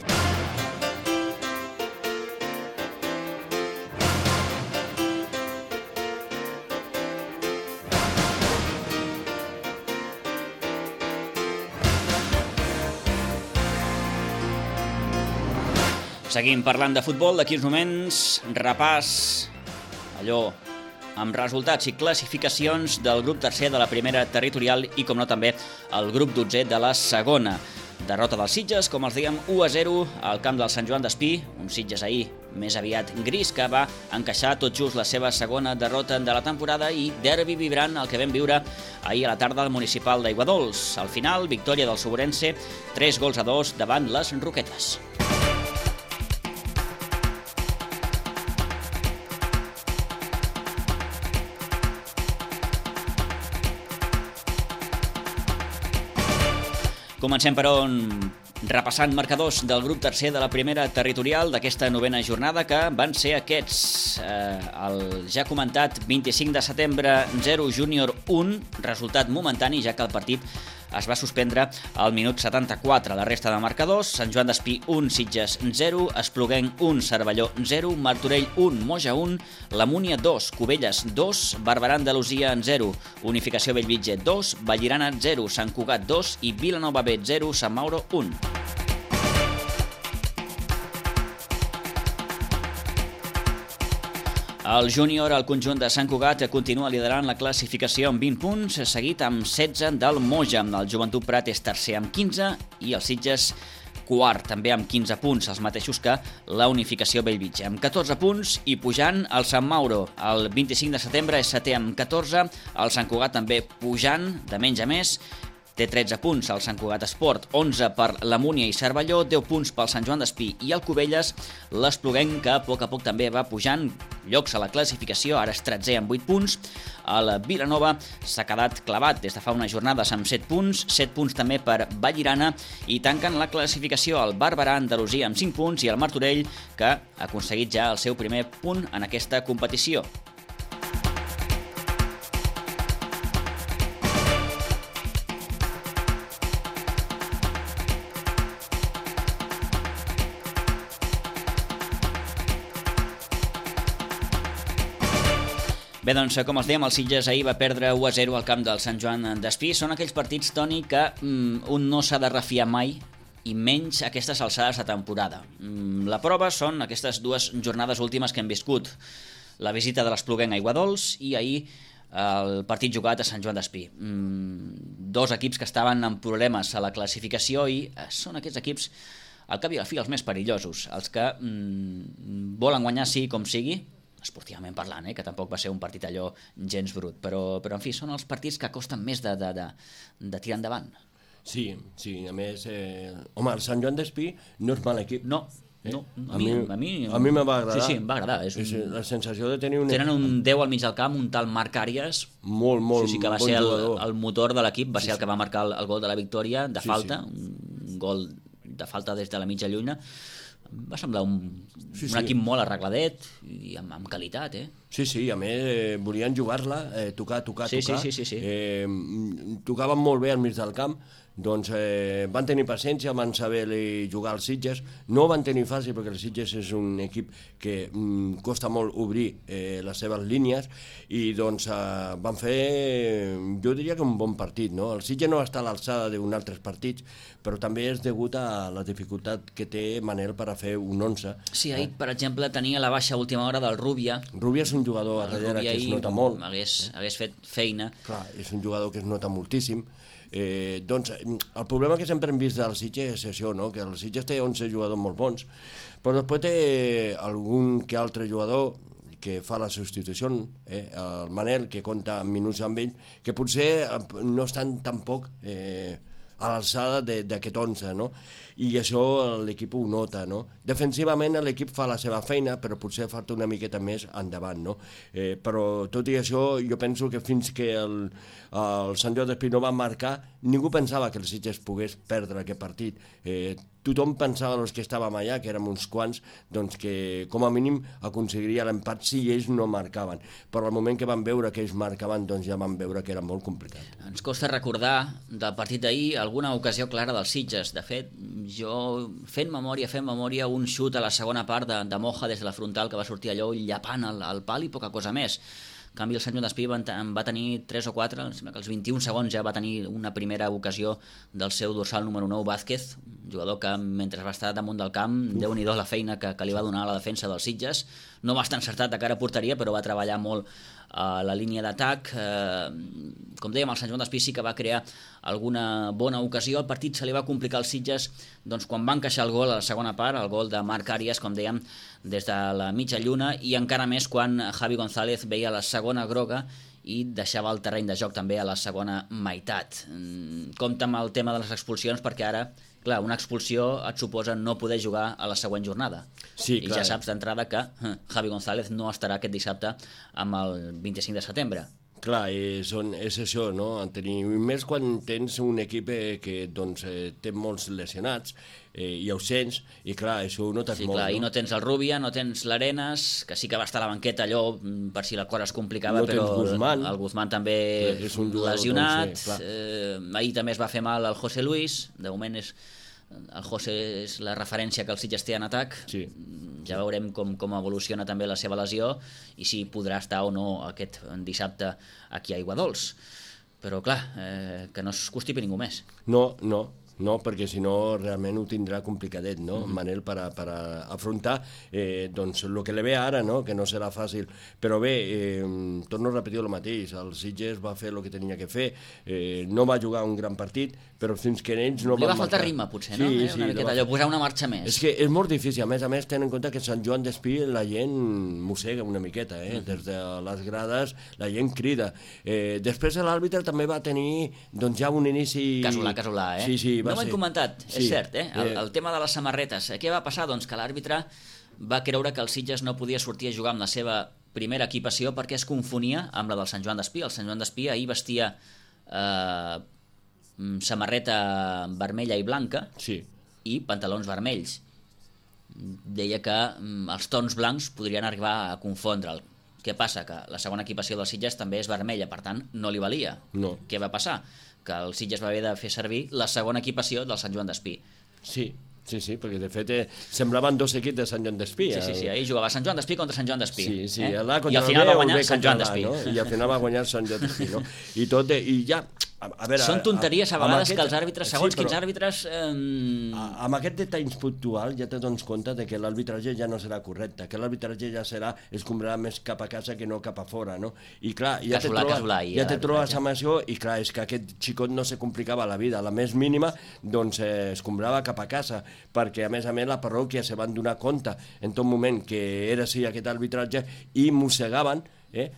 Seguim parlant de futbol, d'aquí uns moments, repàs, allò, amb resultats i classificacions del grup tercer de la primera territorial i, com no, també el grup 12 de la segona. Derrota dels Sitges, com els dèiem, 1-0 al camp del Sant Joan d'Espí, un Sitges ahir més aviat gris, que va encaixar tot just la seva segona derrota de la temporada, i derbi vibrant el que vam viure ahir a la tarda al municipal d'Aiguadols. Al final, victòria del Soborense, 3-2 davant les Roquetes. Comencem, però, repassant marcadors del grup tercer de la primera territorial d'aquesta novena jornada, que van ser aquests. El ja comentat 25 de setembre 0, Júnior 1, resultat momentani, ja que el partit es va suspendre al minut 74. La resta de marcadors: Sant Joan d'Espí 1, Sitges 0, Espluguenc 1, Cervelló 0, Martorell 1, Moja 1, La Múnia 2, Cubelles 2, Barberà Andalusia 0, Unificació Bellvitge 2, Vallirana 0, Sant Cugat 2 i Vilanova B 0, Sant Mauro 1. El júnior, el conjunt de Sant Cugat, continua liderant la classificació amb 20 punts, seguit amb 16 del Moja. El Joventut Prat és tercer amb 15 i el Sitges quart, també amb 15 punts, els mateixos que la Unificació Bellvitge. Amb 14 punts i pujant el Sant Mauro. El 25 de setembre és setè amb 14, el Sant Cugat també pujant de menys a més, té 13 punts el Sant Cugat Esport, 11 per la Múnia i Cervelló, 10 punts pel Sant Joan d'Espí i el Cubelles. L'Espluguenc, que a poc també va pujant llocs a la classificació, ara és 13è amb 8 punts. El Vilanova s'ha quedat clavat des de fa unes jornades amb 7 punts, 7 punts també per Vallirana, i tanquen la classificació el Barberà Andalusia amb 5 punts i el Martorell, que ha aconseguit ja el seu primer punt en aquesta competició. Bé, doncs, com els dèiem, el Sitges ahir va perdre 1-0 al camp del Sant Joan d'Espí. Són aquells partits, Toni, que un no s'ha de refiar mai, i menys aquestes alçades de temporada. La prova són aquestes dues jornades últimes que hem viscut. La visita de l'Espluguenc a Aiguadols i ahir el partit jugat a Sant Joan d'Espí. Dos equips que estaven amb problemes a la classificació i són aquests equips, al cap i a la fi, els més perillosos, els que volen guanyar sí com sigui, esportivament parlant, que tampoc va ser un partit allò gens brut, però en fi, són els partits que costen més de tirar endavant. Sí, a més, home, el Sant Joan d'Espí no és mal equip. No, a mi me va agradar. Sí, em va agradar. La sensació de tenir tenen un 10 al mig del camp, un tal Marc Àrias, molt que va bon ser jugador. el motor de l'equip, va ser el que va marcar el gol de la victòria de falta, un gol de falta des de la mitja lluna. Va semblar un equip molt arregladet i amb qualitat, Sí, a més volien jugar-la, tocar. Sí. Tocaven molt bé al mig del camp, doncs van tenir paciència, van saber jugar als Sitges. No van tenir fàcil perquè el Sitges és un equip que costa molt obrir les seves línies, i doncs van fer, jo diria que un bon partit, no? El Sitges no està a l'alçada d'un altres partits, però també és degut a la dificultat que té Manel per a fer un 11. Sí, ahir, per exemple, tenia la baixa a última hora del Rubia. Rubia és un jugador a darrere que es nota molt. Hagués fet feina. Clar, és un jugador que es nota moltíssim. Doncs el problema que sempre hem vist del Sitges és això, no? Que el Sitges té 11 jugadors molt bons, però després té algun que altre jugador que fa la substitució, el Manel, que compta minuts amb ell, que potser no estan tampoc a l'alçada d'aquest 11, no? I això l'equip ho nota, no? Defensivament l'equip fa la seva feina, però potser falta una miqueta més endavant, no? Però tot i això, jo penso que fins que el Sant Joan d'Espí no va marcar, ningú pensava que el Sitges pogués perdre aquest partit. Tothom pensava, els que estàvem allà, que érem uns quants, doncs que com a mínim aconseguiria l'empat si ells no marcaven. Però al moment que van veure que ells marcaven, doncs ja van veure que era molt complicat. Ens costa recordar del partit d'ahir alguna ocasió clara dels Sitges. De fet, jo fent memòria, un xut a la segona part de Moja des de la frontal que va sortir allò llapant al pal i poca cosa més. En canvi, el Sant Joan d'Espí va tenir 3 o 4, em sembla que als 21 segons ja va tenir una primera ocasió del seu dorsal número 9, Vázquez, un jugador que mentre va estar damunt del camp, Déu-n'hi-do la feina que li va donar a la defensa dels Sitges. No va estar encertat de cara a porteria, però va treballar molt a la línia d'atac. Com dèiem, el Sant Joan d'Espí sí que va crear alguna bona ocasió. El partit se li va complicar als Sitges doncs, quan va encaixar el gol a la segona part, el gol de Marc Àrias, com dèiem, des de la mitja lluna, i encara més quan Javi González veia la segona groga i deixava el terreny de joc també a la segona meitat. Compte amb el tema de les expulsions, perquè ara, clar, una expulsió et suposa no poder jugar a la següent jornada. Sí, i ja saps d'entrada que Javi González no estarà aquest dissabte amb el 25 de setembre. Clar, és això, no? Més quan tens un equip que doncs, té molts lesionats i ausents, i clar, això ho notes molt. Clar, no? I no tens el Rubia, no tens l'Arenas, que sí que va estar a la banqueta allò per si la cosa es complicava, no però Guzmán. El Guzmán també és un lesionat. Ahir també es va fer mal el José Luis, de moment el José és la referència que el Sitges té en atac. Sí. Ja veurem com evoluciona també la seva lesió i si podrà estar o no aquest dissabte aquí a Aiguadols. Però clar, que no es constipi ningú més. No, perquè si no realment ho tindrà complicadet, no? Manel, per afrontar doncs el que li ve ara, no? Que no serà fàcil. Però bé, torno a repetir el mateix, el Sitges va fer el que tenia que fer, no va jugar un gran partit, però fins que ells no van marcar. Li va faltar ritme, potser, no? Sí, una miqueta allò, posar una marxa més. És que és molt difícil, a més, tenen en compte que Sant Joan d'Espí la gent mossega una miqueta, des de les grades la gent crida. Després l'àrbitre també va tenir doncs ja un inici... Casolà, Sí, no m'han comentat, és cert, el tema de les samarretes. Què va passar? Doncs que l'àrbitre va creure que el Sitges no podia sortir a jugar amb la seva primera equipació perquè es confonia amb la del Sant Joan d'Espí. El Sant Joan d'Espí ahir vestia samarreta vermella i blanca i pantalons vermells. Deia que els tons blancs podrien arribar a confondre'l. Què passa? Que la segona equipació del Sitges també és vermella, per tant no li valia. No. Què va passar? Que el Sitges va haver de fer servir la segona equipació del Sant Joan d'Espí. Sí, perquè de fet semblaven dos equips de Sant Joan d'Espí. Sí, ahir jugava Sant Joan d'Espí contra Sant Joan d'Espí. Sí, i al final va guanyar Sant Joan d'Espí. I al final va guanyar Sant Joan d'Espí, no? I ja... A veure, són tonteries a vegades que els àrbitres, segons quins àrbitres... Amb aquest detall puntual ja te dones compte de que l'arbitratge ja no serà correcte, que l'arbitratge ja escombrarà més cap a casa que no cap a fora, no? I clar, ja te trobes amb això, i clar, és que aquest xicot no se complicava la vida, la més mínima, doncs escombrava cap a casa, perquè a més la parròquia se van donar compte en tot moment que era així aquest arbitratge i mossegaven,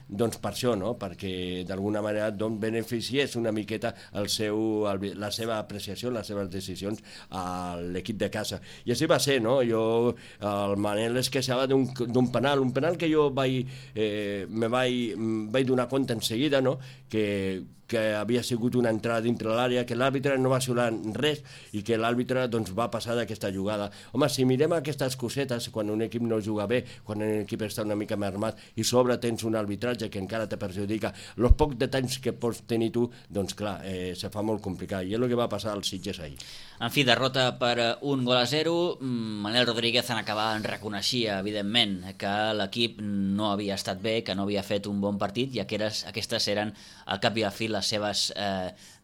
doncs per això, no? Perquè d'alguna manera beneficiés una miqueta la seva apreciació, les seves decisions a l'equip de casa. I així va ser, no? El Manel es queixava d'un penal, un penal que jo me vaig donar compte en seguida, no? Que havia sigut una entrada dintre l'àrea, que l'àrbitre no va xiular res i que l'àrbitre doncs, va passar d'aquesta jugada. Home, si mirem aquestes cosetes, quan un equip no juga bé, quan un equip està una mica mermat i sobre tens un arbitratge que encara te perjudica, els pocs detalls que pots tenir tu, doncs clar, se fa molt complicat. I és el que va passar al Sitges ahir. En fi, derrota per 1-0. Manel Rodríguez en acabar reconeixia, evidentment, que l'equip no havia estat bé, que no havia fet un bon partit i aquestes eren, al cap i a fi, les seves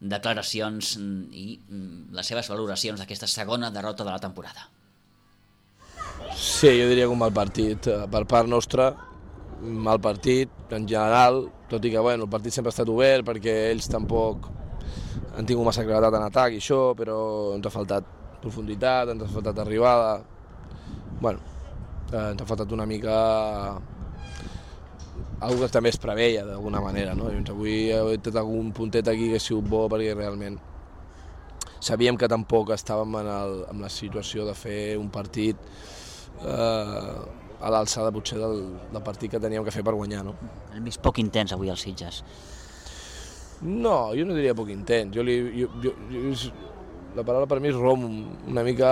declaracions i les seves valoracions d'aquesta segona derrota de la temporada. Sí, jo diria que un mal partit. Per part nostra, mal partit en general, tot i que el partit sempre ha estat obert perquè ells tampoc han tingut massa claredat en atac i això, però ens ha faltat profunditat, ens ha faltat arribada. Ens ha faltat una mica algo que també es preveia d'alguna manera, no? Avui he tret algun puntet aquí que ha sigut bo perquè realment sabíem que tampoc estàvem en la situació de fer un partit a l'alçada potser del partit que teníem que fer per guanyar, no? Hem vist poc intens avui als Sitges. No, jo no diria poc intens. La paraula per mi és rom, una mica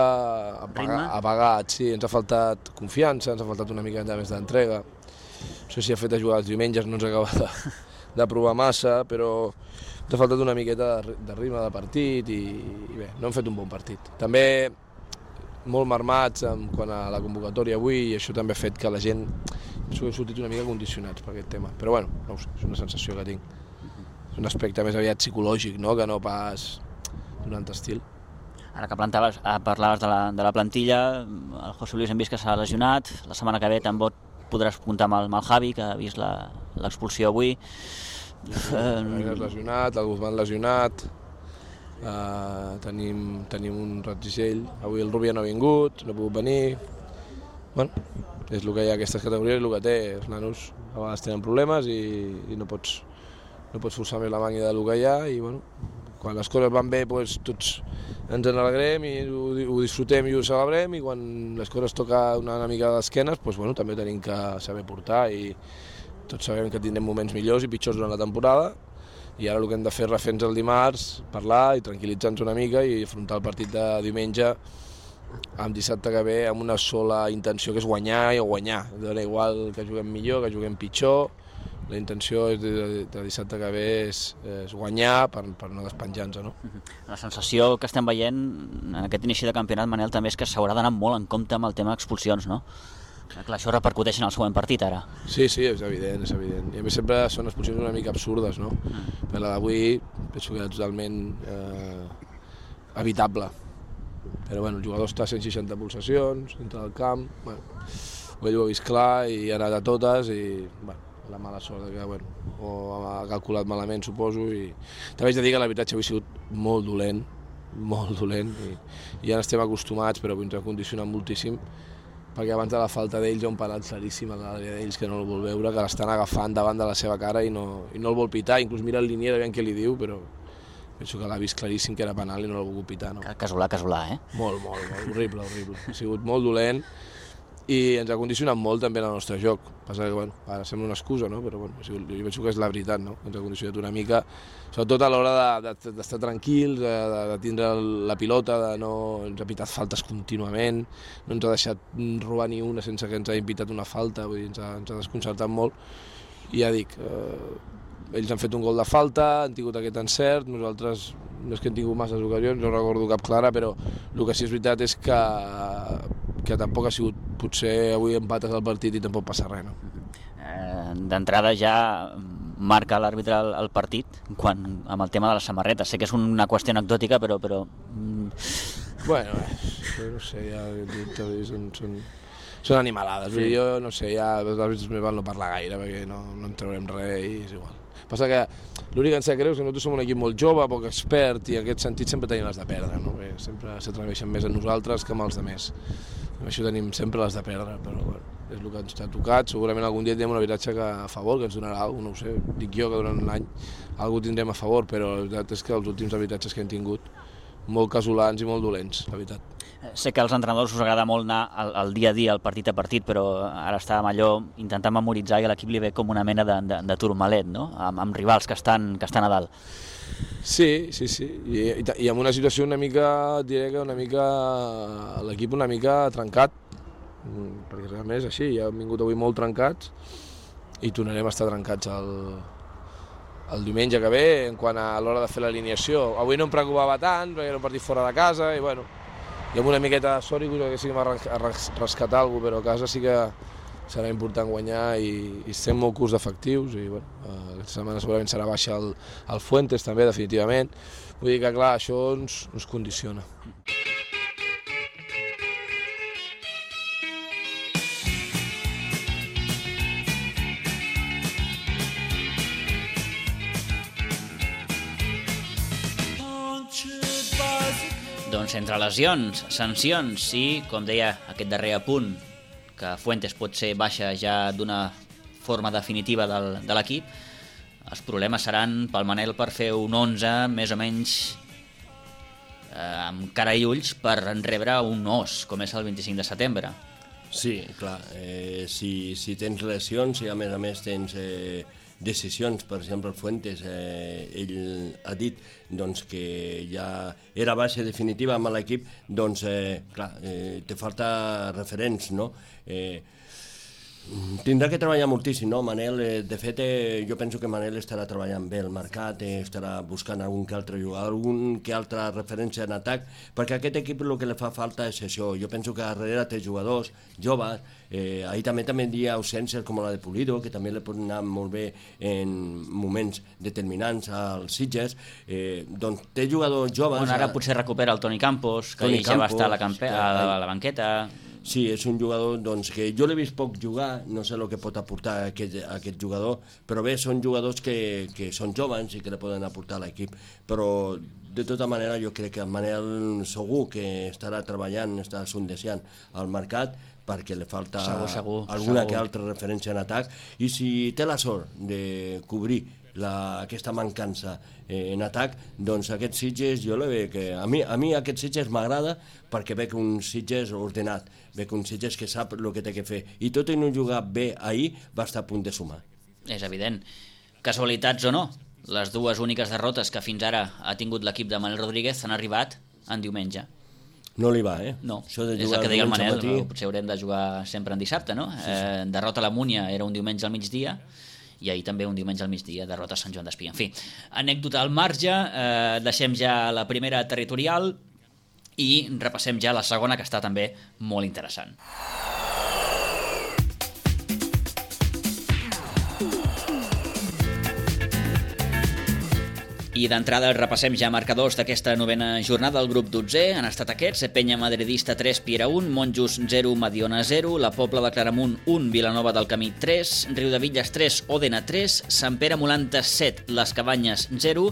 apagat, sí. Ens ha faltat confiança, ens ha faltat una mica més d'entrega. No sé si ha fet a jugar els diumenges, no ens acaba de provar massa, però ens ha faltat una miqueta de ritme de partit i bé, no hem fet un bon partit. També molt marmats quant a la convocatòria avui i això també ha fet que la gent hem sortit una mica condicionats per aquest tema. Però no ho sé, és una sensació que tinc. És un aspecte més aviat psicològic, no? Que no pas d'un altre estil. Ara que parlaves de la plantilla, el José Luis hem vist que s'ha lesionat, la setmana que ve podràs comptar amb el Javi, que ha vist l'expulsió avui. El lesionat, el Guzmán lesionat, tenim un Ratzisell, avui el Rubia no ha vingut, no ha pogut venir. Bueno, és el que hi ha a aquestes categories, el que té, els nanos a vegades tenen problemes i no pots forçar més la màquina del que hi ha i bueno, quan les coses van bé doncs, tots ens en alegrem i ho disfrutem i ho celebrem i quan les coses toca una mica d'esquenes doncs, bueno, també tenim que saber portar i tots sabem que tindrem moments millors i pitjors durant la temporada i ara el que hem de fer és refer-nos el dimarts, parlar i tranquil·litzar-nos una mica i afrontar el partit de diumenge amb dissabte que ve amb una sola intenció que és guanyar i guanyar. Dona igual que juguem millor, que juguem pitjor. La intenció de dissabte que ve és guanyar per no despenjar-nos. No? La sensació que estem veient en aquest inici de campionat, Manel, també és que s'haurà d'anar molt en compte amb el tema expulsions, no? Clar, això repercuteix en el següent partit, ara. Sí, és evident, és evident. I a més sempre són expulsions una mica absurdes, no? Per la d'avui penso que era totalment evitable. Però bueno, el jugador està a 160 pulsacions dintre del camp, bueno, ell ho ha vist clar i ha anat a totes i bueno, la mala sort que bueno, o ha calculat malament suposo i també haig de dir que l'arbitratge avui ha sigut molt dolent i ja n'estem acostumats però avui ens ha condicionat moltíssim perquè abans de la falta d'ells hi ha un penal claríssim a l'àrea d'ells que no el vol veure, que l'estan agafant davant de la seva cara i no el vol pitar, inclús mira el linier aviam què li diu però penso que l'ha vist claríssim que era penal i no l'ha volgut pitar. No? Casolà, eh? Molt, horrible. Ha sigut molt dolent i ens ha condicionat molt també el nostre joc. Passa que, bueno, ara sembla una excusa, no? Però bueno, jo penso que és la veritat, no? Ens ha condicionat una mica, sobretot a l'hora d'estar tranquils, de tindre la pilota, ens ha pitat faltes contínuament, no ens ha deixat robar ni una sense que ens hagin pitat una falta, vull dir, ens ha desconcertat molt. I ja dic, ells han fet un gol de falta, han tingut aquest encert, nosaltres no és que hem tingut masses ocasions, no recordo cap clara, però el que sí és veritat és que tampoc ha sigut, potser avui empates el partit i tampoc passa res. No? D'entrada ja marca l'àrbitre el partit amb el tema de les samarretes. Sé que és una qüestió anecdòtica, però... Bueno, no sé, ja són animalades. Sí. Jo no sé, ja els àrbitres més val no parlar gaire perquè no en traurem res i és igual. Passa que l'únic que ens sap greu és que nosaltres som un equip molt jove, poc expert, i en aquest sentit sempre tenim les de perdre, no? Sempre s'atreveixen més a nosaltres que amb els altres. Amb això tenim sempre les de perdre, però bueno, és el que ens ha tocat. Segurament algun dia tindrem un arbitratge a favor, que ens donarà alguna cosa, no ho sé, dic jo que durant l'any alguna tindrem a favor, però la veritat és que els últims arbitratges que hem tingut, molt casolans i molt dolents, la veritat. Sé que als entrenadors us agrada molt anar al dia a dia, al partit a partit, però ara estàvem allò intentant memoritzar i a l'equip li ve com una mena de turmalet, no? Amb rivals que estan a dalt. Sí, i amb una situació una mica, diré que l'equip una mica trencat, perquè realment és així, ja hem vingut avui molt trencats i tornarem a estar trencats el diumenge que ve en quant a l'hora de fer l'alineació. Avui no em preocupava tant, perquè era un partit fora de casa i bueno, i amb una miqueta de sort i que sí que m'ha rescatat alguna cosa, però a casa sí que serà important guanyar i estem molt curts d'efectius i bueno, aquesta setmana segurament serà baixa el Fuentes també, definitivament. Vull dir que clar, això ens condiciona. Doncs entre lesions, sancions i, com deia, aquest darrer apunt, que Fuentes pot ser baixa ja d'una forma definitiva de l'equip, els problemes seran pel Manel per fer un 11 més o menys amb cara i ulls per rebre un os, com és el 25 de setembre. Sí, clar, si tens lesions i a més tens decisions, per exemple el Fuentes, ell ha dit doncs, que ja era baixa definitiva amb l'equip, doncs clar, te falta referents, no? Tindrà que treballar moltíssim, no? Manel, de fet, jo penso que Manel estarà treballant bé el mercat, estarà buscant algun que altre jugador, algun que altra referència en atac, perquè a aquest equip el que li fa falta és això. Jo penso que darrere té jugadors joves, ahir també hi ha ausències com la de Pulido, que també li pot anar molt bé en moments determinants als Sitges, doncs té jugadors joves... Bueno, ara potser recupera el Toni Campos, que ja va estar a la banqueta... Sí, és un jugador que jo l'he vist poc jugar, no sé el que pot aportar aquest jugador, però bé, són jugadors que són joves i que li poden aportar a l'equip, però de tota manera jo crec que el Manel segur que estarà treballant, estarà sondejant al mercat, perquè li falta alguna que altra referència en atac, i si té la sort de cobrir aquesta mancança en atac, doncs aquest Sitges jo la veig que a mi aquest Sitges m'agrada perquè veig un Sitges ordenat, veig un Sitges que sap el que té que fer, i tot i no jugar bé ahir va estar a punt de sumar. És evident. Casualitats o no, les dues úniques derrotes que fins ara ha tingut l'equip de Manel Rodríguez han arribat en diumenge. No li va, No, és el que deia el Manel, potser haurem de jugar sempre en dissabte, no? Derrota a la Múnia era un diumenge al migdia, i ahir també un diumenge al migdia, derrota a Sant Joan d'Espí. En fi, anècdota al marge, deixem ja la primera territorial i repassem ja la segona, que està també molt interessant. I d'entrada repassem ja marcadors d'aquesta novena jornada del grup 12. Han estat aquests: Penya Madridista 3, Piera 1, Monjos 0, Mediona 0, la Pobla de Claramunt 1, Vilanova del Camí 3, Riudevilles 3, Òdena 3, Sant Pere Molanta 7, Les Cabanyes 0,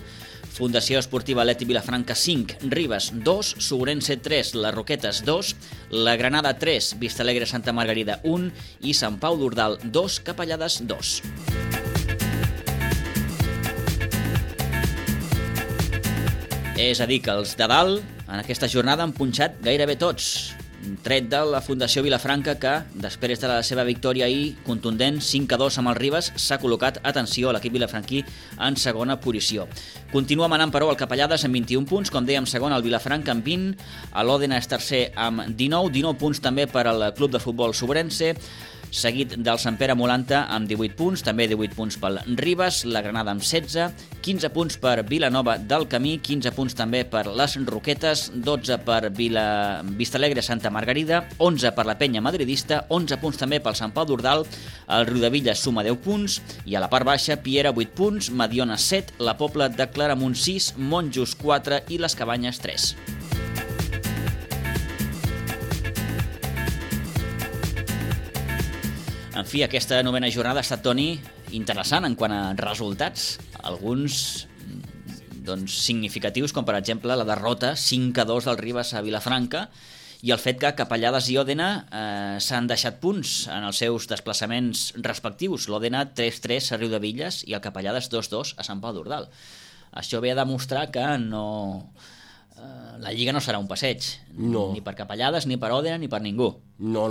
Fundació Esportiva Leti Vilafranca 5, Ribes 2, Segurense 3, Les Roquetes 2, la Granada 3, Vistalegre Santa Margarida 1 i Sant Pau d'Ordal 2, Capellades 2. És a dir, que els de dalt en aquesta jornada han punxat gairebé tots, tret de la Fundació Vilafranca, que després de la seva victòria ahir contundent 5-2 amb el Ribes s'ha col·locat, atenció, a l'equip vilafranquí en segona posició. Continua manant, però, el Capellades amb 21 punts, com dèiem, segon el Vilafranca amb 20, l'Òdena és tercer amb 19 punts també per al Club de Futbol Sobrense, seguit del Sant Pere Molanta amb 18 punts, també 18 punts pel Ribes, la Granada amb 16, 15 punts per Vilanova del Camí, 15 punts també per les Roquetes, 12 per Vistalegre Santa Margarida, 11 per la Penya Madridista, 11 punts també pel Sant Pau d'Ordal, el Riudevilles suma 10 punts, i a la part baixa Piera 8 punts, Mediona 7, la Pobla de Claramunt 6, Monjos 4 i les Cabanyes 3. En fi, aquesta novena jornada ha estat, Toni, interessant en quant a resultats, alguns significatius, com per exemple la derrota 5-2 del Ribes a Vilafranca, i el fet que Capellades i Òdena s'han deixat punts en els seus desplaçaments respectius. L'Òdena 3-3 a Riudevilles i el Capellades 2-2 a Sant Pau d'Ordal. Això ve a demostrar que la Lliga no serà un passeig, ni per Capellades, ni per Òdena, ni per ningú. No.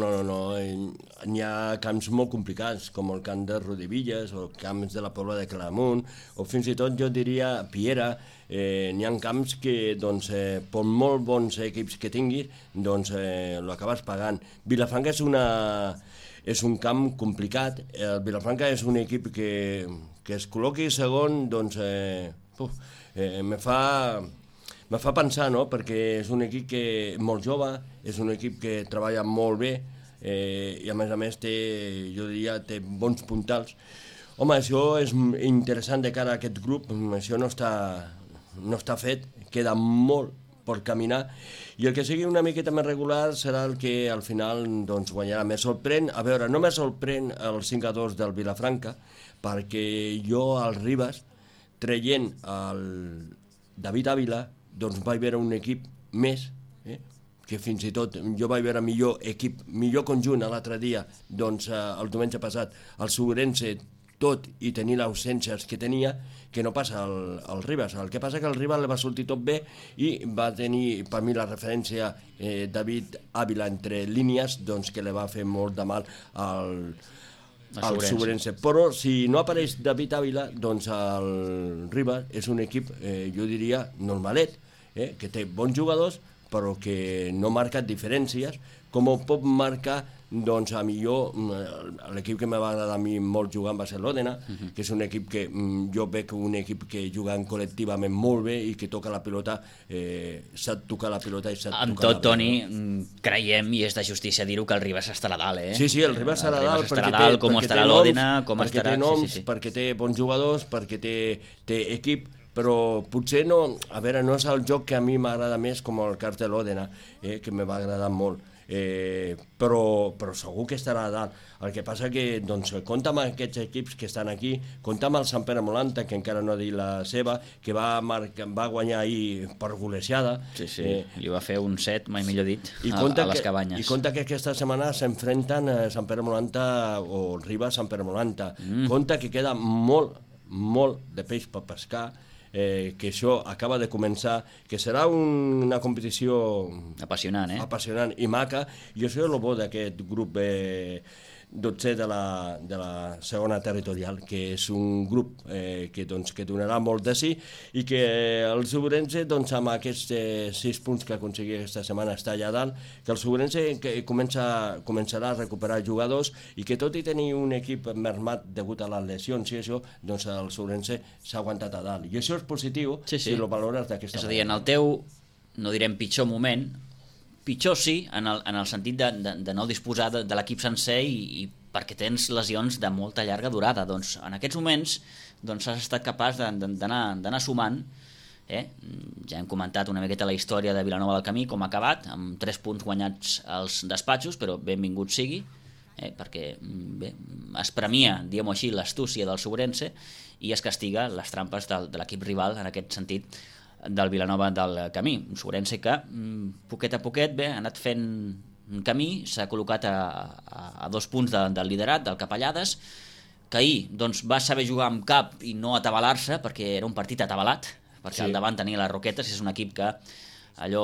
N'hi ha camps molt complicats, com el camp de Riudevilles, o camps de la Pobla de Claramunt, o fins i tot jo diria Piera. N'hi ha camps que, per molt bons equips que tinguis, l'acabes pagant. Vilafranca és un camp complicat. El Vilafranca és un equip que es col·loqui segon, me fa pensar, no?, perquè és un equip que és molt jove, és un equip que treballa molt bé, i a més té bons puntals. Home, això és interessant de cara a aquest grup, això no està fet, queda molt per caminar, i el que sigui una miqueta més regular serà el que al final guanyarà. Me sorprèn, a veure, no me sorprèn el 5-2 del Vilafranca, perquè jo al Ribes, traient el David Ávila, vaig veure un equip més, que fins i tot jo vaig veure millor equip, millor conjunt l'altre dia, el diumenge passat, el Segurense, tot i tenir les ausències que tenia, que no passa al Ribes. El que passa que al Ribes li va sortir tot bé i va tenir, per mi, la referència David Ávila entre línies, que li va fer molt de mal al Segurense. Però si no apareix David Ávila, el Ribes és un equip, jo diria, normalet, que té bons jugadors, però que no marca diferències, com ho pot marcar, a millor, l'equip que m'ha agradat a mi molt jugant va ser l'Òdena, que és un equip que jo veig un equip que jugant col·lectivament molt bé i que toca la pilota, sap tocar la pilota i sap tocar la pilota. Amb tot, Toni, creiem, i és de justícia dir-ho, que el Ribes estarà dalt, Sí, el Ribes estarà dalt, perquè té noms, perquè té bons jugadors, perquè té equip, però potser no és el joc que a mi m'agrada més com el cas de l'Òdena, que me va agradar molt. però segur que estarà a dalt. El que passa que doncs, compta amb aquests equips que estan aquí, compta amb el Sant Pere Molanta, que encara no ha dit la seva, que va guanyar ahir per golejada. Sí, li va fer un 7, mai millor dit, a les Cabanyes. I compta que aquesta setmana s'enfrenten Sant Pere Molanta o Riba Sant Pere Molanta. Compta que queda molt de peix per pescar, que això acaba de començar, que serà una competició apassionant i maca, i això és el bo d'aquest grup 12 de la segona territorial, que és un grup que donarà molt de sí, i que el Subrense, amb aquests 6 punts que aconseguia aquesta setmana, està allà dalt, que el Subrense començarà a recuperar jugadors, i que tot i tenir un equip mermat degut a les lesions i això, doncs el Subrense s'ha aguantat a dalt, i això és positiu si el valores d'aquesta manera. És a dir, en el teu, no direm pitjor moment, pitjor sí, en el sentit de no disposar de l'equip sencer i perquè tens lesions de molta llarga durada. Doncs en aquests moments has estat capaç d'anar sumant. Ja hem comentat una miqueta la història de Vilanova del Camí, com ha acabat, amb 3 punts guanyats als despatxos, però benvingut sigui, perquè es premia, diguem-ho així, l'astúcia del Subrense i es castiga les trampes de l'equip rival, en aquest sentit, del Vilanova del Camí. Un Subrense que, poquet a poquet, ha anat fent un camí, s'ha col·locat a 2 punts del liderat, del Capellades, que ahir va saber jugar amb cap i no atabalar-se, perquè era un partit atabalat, perquè al davant tenia les Roquetes, és un equip que allò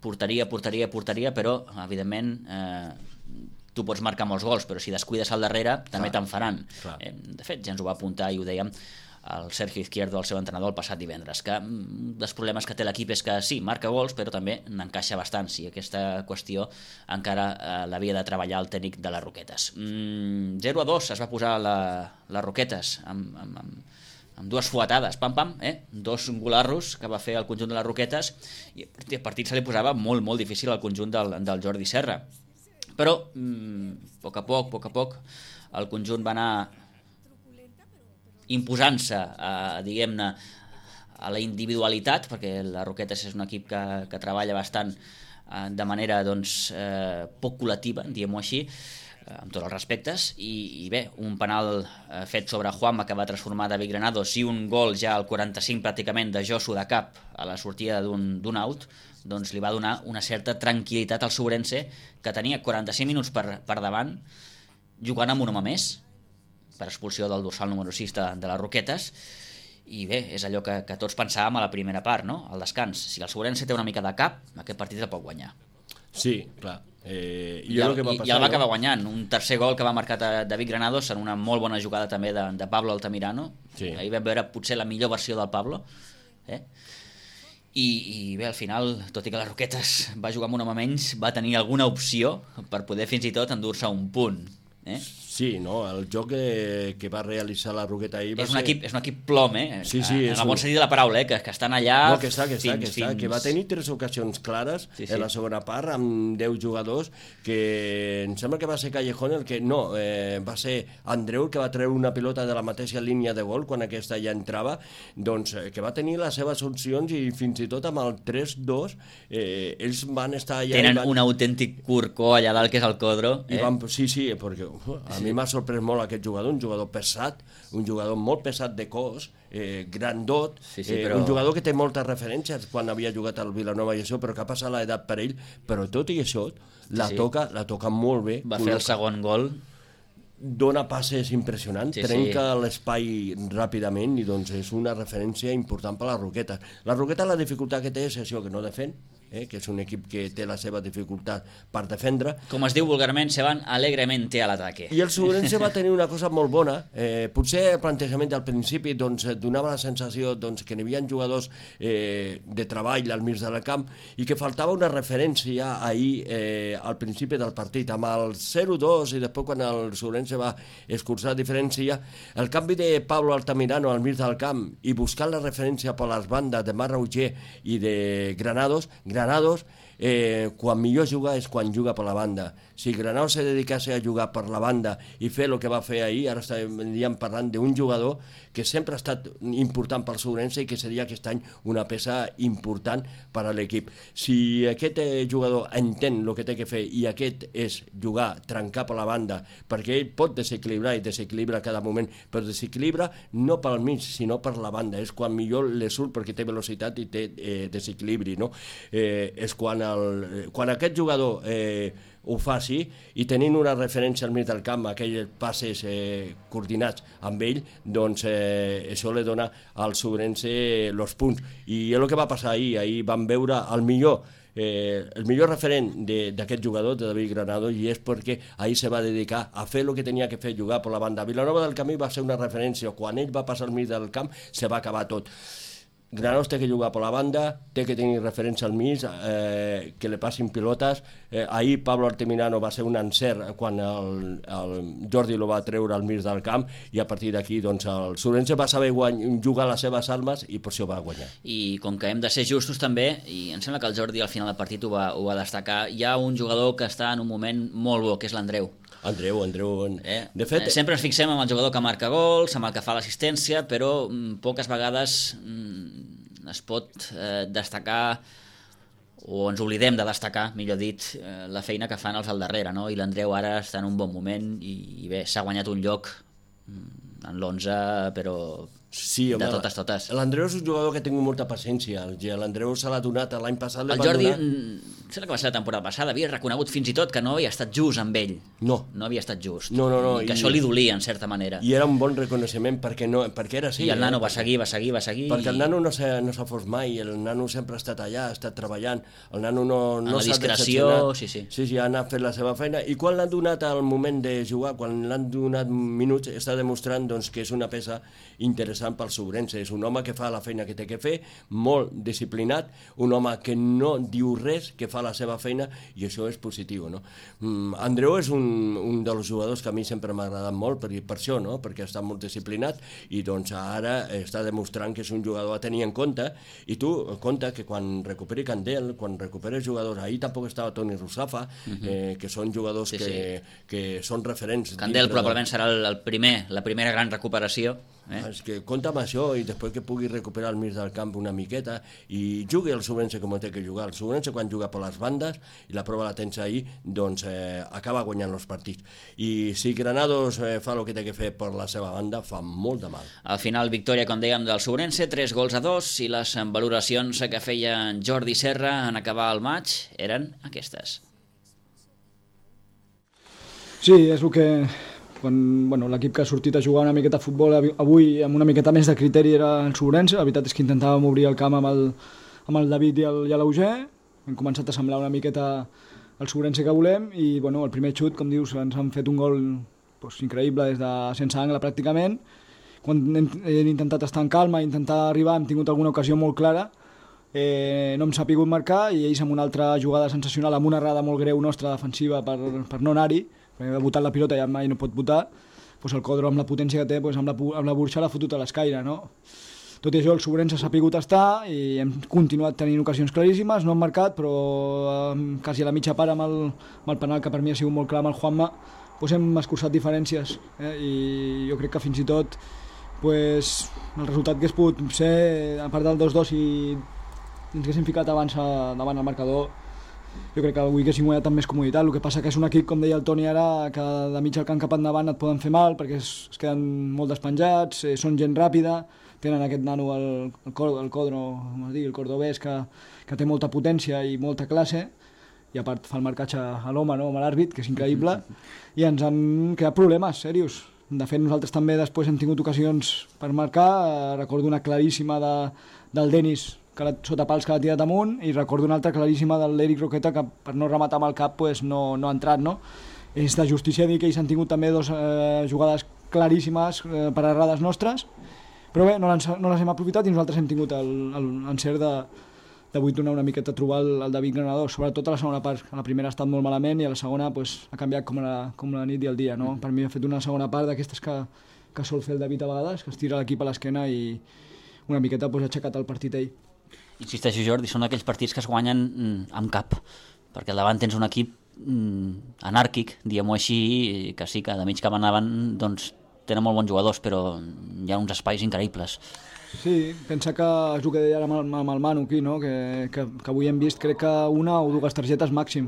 portaria, però, evidentment, tu pots marcar molts gols, però si descuides al darrere, també te'n faran. De fet, ja ens ho va apuntar i ho dèiem el Sergio Izquierdo, el seu entrenador, el passat divendres, que un dels problemes que té l'equip és que sí, marca gols, però també n'encaixa bastant, i aquesta qüestió encara l'havia de treballar el tècnic de les Roquetes. 0-2 es va posar les Roquetes amb 2 fuetades, pam, 2 golarros que va fer el conjunt de les Roquetes, i el partit se li posava molt difícil al conjunt del Jordi Serra. Però, a poc a poc, el conjunt va anar imposant-se, diguem-ne, a la individualitat, perquè la Roquetes és un equip que treballa bastant de manera poc col·lectiva, diguem-ho així, amb tots els respectes, i bé, un penal fet sobre Juanma que va transformar David Granados i un gol ja al 45 pràcticament de Josu de cap a la sortida d'un out, doncs li va donar una certa tranquil·litat al Subrense, que tenia 45 minuts per davant jugant amb un home més, per expulsió del dorsal número 6 de les Roquetes, i bé, és allò que tots pensàvem a la primera part, no? Al descans. Si el Subrense té una mica de cap, aquest partit el pot guanyar. Sí, clar. I el va acabar guanyant. Un tercer gol que va marcar David Granados en una molt bona jugada també de Pablo Altamirano. Ahir vam veure potser la millor versió del Pablo. I bé, al final, tot i que les Roquetes va jugar amb un home menys, va tenir alguna opció per poder fins i tot endur-se un punt. Sí, no? El joc que va realitzar la Roqueta ahir va ser... És un equip plom, Sí, en el bon sentit de la paraula, que estan allà... No, que va tenir 3 ocasions clares en la segona part, amb 10 jugadors, que em sembla que va ser Callejón el que... No, va ser Andreu el que va treure una pilota de la mateixa línia de gol quan aquesta ja entrava, doncs que va tenir les seves opcions, i fins i tot amb el 3-2 ells van estar allà... Tenen un autèntic curcó allà dalt, que és el Codro. Sí, perquè a mi m'ha sorprès molt aquest jugador, un jugador pesat, un jugador molt pesat de cos, grandot, però... un jugador que té moltes referències quan havia jugat al Vilanova i això, però que ha passat l'edat per ell, però tot i això la toca molt bé. Va fer el segon gol. Dona passes impressionants, trenca l'espai ràpidament, i doncs és una referència important per a la Roqueta. La Roqueta, la dificultat que té és això, que no defèn, que és un equip que té la seva dificultat per defendre. Com es diu vulgarment, se van alegremente a l'ataque. I el Subrense va tenir una cosa molt bona. Potser el plantejament al principi donava la sensació que n'hi havia jugadors de treball al mig del camp, i que faltava una referència ahir al principi del partit, amb el 0-2, i després quan el Subrense va escurçar diferència, el canvi de Pablo Altamirano al mig del camp i buscar la referència per les bandes de Marc Roger i de Granados quan millor juga és quan juga per la banda. Si Granados se dedicase a jugar per la banda i fer el que va fer ahir, ara estaríem parlant d'un jugador que sempre ha estat important pel Ourense i que seria aquest any una peça important per a l'equip. Si aquest jugador entén el que té que fer i aquest és jugar, trencar per la banda, perquè ell pot desequilibrar i desequilibra a cada moment, però desequilibra no pel mig, sinó per la banda. És quan millor le surt perquè té velocitat i té desequilibri, no? És quan aquest jugador ho faci i tenint una referència al mig del camp, aquells passes coordinats amb ell, doncs això li dona al Ourense els punts. I és el que va passar ahir. Ahir vam veure el millor referent d'aquest jugador, de David Granados, i és perquè ahir se va dedicar a fer el que tenia que fer, jugar per la banda. Vilanova del Camí va ser una referència. Quan ell va passar al mig del camp se va acabar tot. Granados té que jugar per la banda, té que tenir referència al mig, que li passin pilotes. Ahir Pablo Arteminano va ser un encert quan el Jordi lo va treure al mig del camp i a partir d'aquí doncs, el Ourense va saber jugar les seves armes i per això va guanyar. I com que hem de ser justos també, i em sembla que el Jordi al final del partit ho va destacar, hi ha un jugador que està en un moment molt bo, que és l'Andreu. Andreu. De fet, sempre ens fixem en el jugador que marca gols, amb el que fa l'assistència, però poques vegades es pot destacar, o ens oblidem de destacar, millor dit, la feina que fan els al darrere, no? I l'Andreu ara està en un bon moment i bé, s'ha guanyat un lloc en l'11, però sí, home, de totes. L'Andreu és un jugador que ha tingut molta paciència. L'Andreu se l'ha donat l'any passat. El Jordi, sembla que va ser la temporada passada, havia reconegut fins i tot que no havia estat just amb ell. No havia estat just. No. I que això li dolia, en certa manera. I era un bon reconeixement perquè era així. I el nano va seguir. Perquè el nano no s'ha fos mai, el nano sempre ha estat allà, ha estat treballant. El nano no s'ha discreció, sí, ha anat fent la seva feina. I quan l'han donat al moment de jugar, quan l'han donat minuts, està demostrant doncs, que és una peça interessant pel Ourense. És un home que fa la feina que té que fer, molt disciplinat, un home que no diu res, que fa la seva feina, i això és positiu, no? Andreu és un dels jugadors que a mi sempre m'ha agradat molt per això, no? Perquè està molt disciplinat i doncs ara està demostrant que és un jugador a tenir en compte. I tu, compte que quan recuperi Candel, quan recuperi jugadors, ahir tampoc estava Toni Rusafa, que són jugadors que són referents. Candel probablement serà la primera gran recuperació. És que compta amb això i després que pugui recuperar el mig del camp una miqueta i jugui el Ourense com té que jugar. El Ourense quan juga per les bandes, i la prova la tens ahir, doncs acaba guanyant els partits. I si Granados fa el que té que fer per la seva banda, fa molt de mal. Al final, victòria, com dèiem, del Ourense, 3-2, i les valoracions que feia Jordi Serra en acabar el maig eren aquestes. Sí, és el que... l'equip que ha sortit a jugar una miqueta a futbol avui amb una miqueta més de criteri era el Ourense. La veritat és que intentàvem obrir el camp amb el David i l'Auger. Hem començat a semblar una miqueta el Ourense que volem i el primer xut, com dius, ens han fet un gol increïble des de sense angle pràcticament. Quan hem intentat estar en calma, intentar arribar, hem tingut alguna ocasió molt clara, no hem sapigut marcar i ells amb una altra jugada sensacional, amb una errada molt greu nostra defensiva per no anar-hi, perquè ha botat la pilota i mai no pot botar, el Codro amb la potència que té, amb la burxa l'ha fotut a l'escaire, no? Tot i això el Ourense s'ha pogut estar i hem continuat tenint ocasions claríssimes, no hem marcat, però quasi a la mitja part amb el penal, que per mi ha sigut molt clar amb el Juanma, hem escurçat diferències, i jo crec que fins i tot el resultat que es pot ser, a part del 2-2, si ens haguéssim ficat abans davant el marcador, jo crec que avui haguéssim guanyat amb més comoditat. El que passa que és un equip, com deia el Toni ara, que de mig al camp cap endavant et poden fer mal perquè es queden molt despenjats, són gent ràpida, tenen aquest nano, el Codro, el cordobès, que té molta potència i molta classe, i a part fa el marcatge a l'home, no? Amb l'àrbit, que és increïble, i ens han creat problemes serios. De fet, nosaltres també després hem tingut ocasions per marcar. Recordo una claríssima del Denis, sota pals, que l'ha tirat amunt, i recordo una altra claríssima de l'Eric Roqueta, que per no rematar amb el cap no ha entrat, no? És de justícia dir que ells han tingut també dues jugades claríssimes per errades nostres, però bé, no les hem aprofitat i nosaltres hem tingut l'encert d'avui tornar una miqueta a trobar el David Granados, sobretot a la segona part. A la primera ha estat molt malament i a la segona ha canviat com la nit i el dia, no? Per mi ha fet una segona part d'aquestes que sol fer el David a vegades, que es tira l'equip a l'esquena i una miqueta ha aixecat el partit ell. Insisteixo, Jordi, són aquells partits que es guanyen amb cap, perquè al davant tens un equip anàrquic, diguem-ho així, que sí, que de mig cap endavant doncs, tenen molt bons jugadors, però hi ha uns espais increïbles. Sí, pensa que és el que deia ara amb el Manu aquí, no? que avui hem vist crec que una o dues targetes màxim.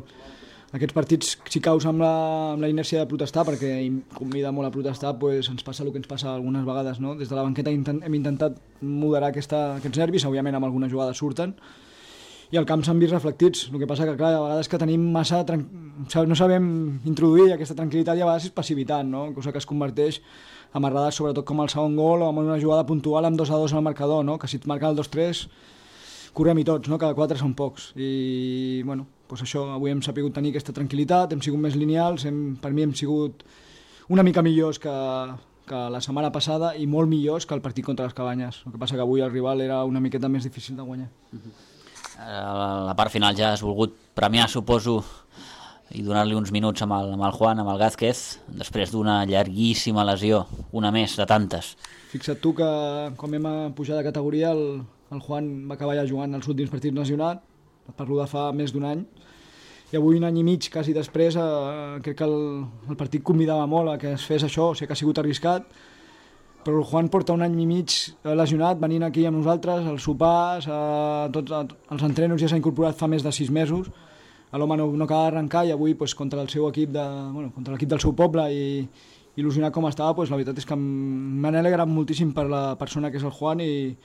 Aquests partits, si caus amb la inèrcia de protestar, perquè convida molt a protestar, pues ens passa el que ens passa algunes vegades. No? Des de la banqueta hem intentat moderar aquests nervis, òbviament amb algunes jugades surten, i al camp s'han vist reflectits. El que passa que, clar, a vegades que tenim massa... no sabem introduir aquesta tranquil·litat i a vegades és passivitat, no? Cosa que es converteix en errades, sobretot com el segon gol o amb una jugada puntual amb 2-2 al marcador, no? Que si et marquen el 2-3 correm-hi tots, no? Cada 4 són pocs. I, bueno, doncs això, avui hem sapigut tenir aquesta tranquil·litat, hem sigut més lineals, per mi hem sigut una mica millors que la setmana passada i molt millors que el partit contra les Cabanyes. El que passa que avui el rival era una miqueta més difícil de guanyar. A la part final ja has volgut premiar, suposo, i donar-li uns minuts amb el Juan, amb el Gázquez, després d'una llarguíssima lesió, una més de tantes. Fixa't tu que quan vam pujar de categoria el Juan va acabar ja jugant els últims partits nacionals, parlo de fa més d'un any, i avui un any i mig quasi després crec que el partit convidava molt a que es fes això, o sigui que ha sigut arriscat, però el Juan porta un any i mig lesionat, venint aquí amb nosaltres, als sopars, tots els entrenos ja s'ha incorporat fa més de 6 mesos, l'home no acaba d'arrencar i avui contra el seu equip, contra l'equip del seu poble i il·lusionat com estava, la veritat és que m'han alegrat moltíssim per la persona que és el Juan i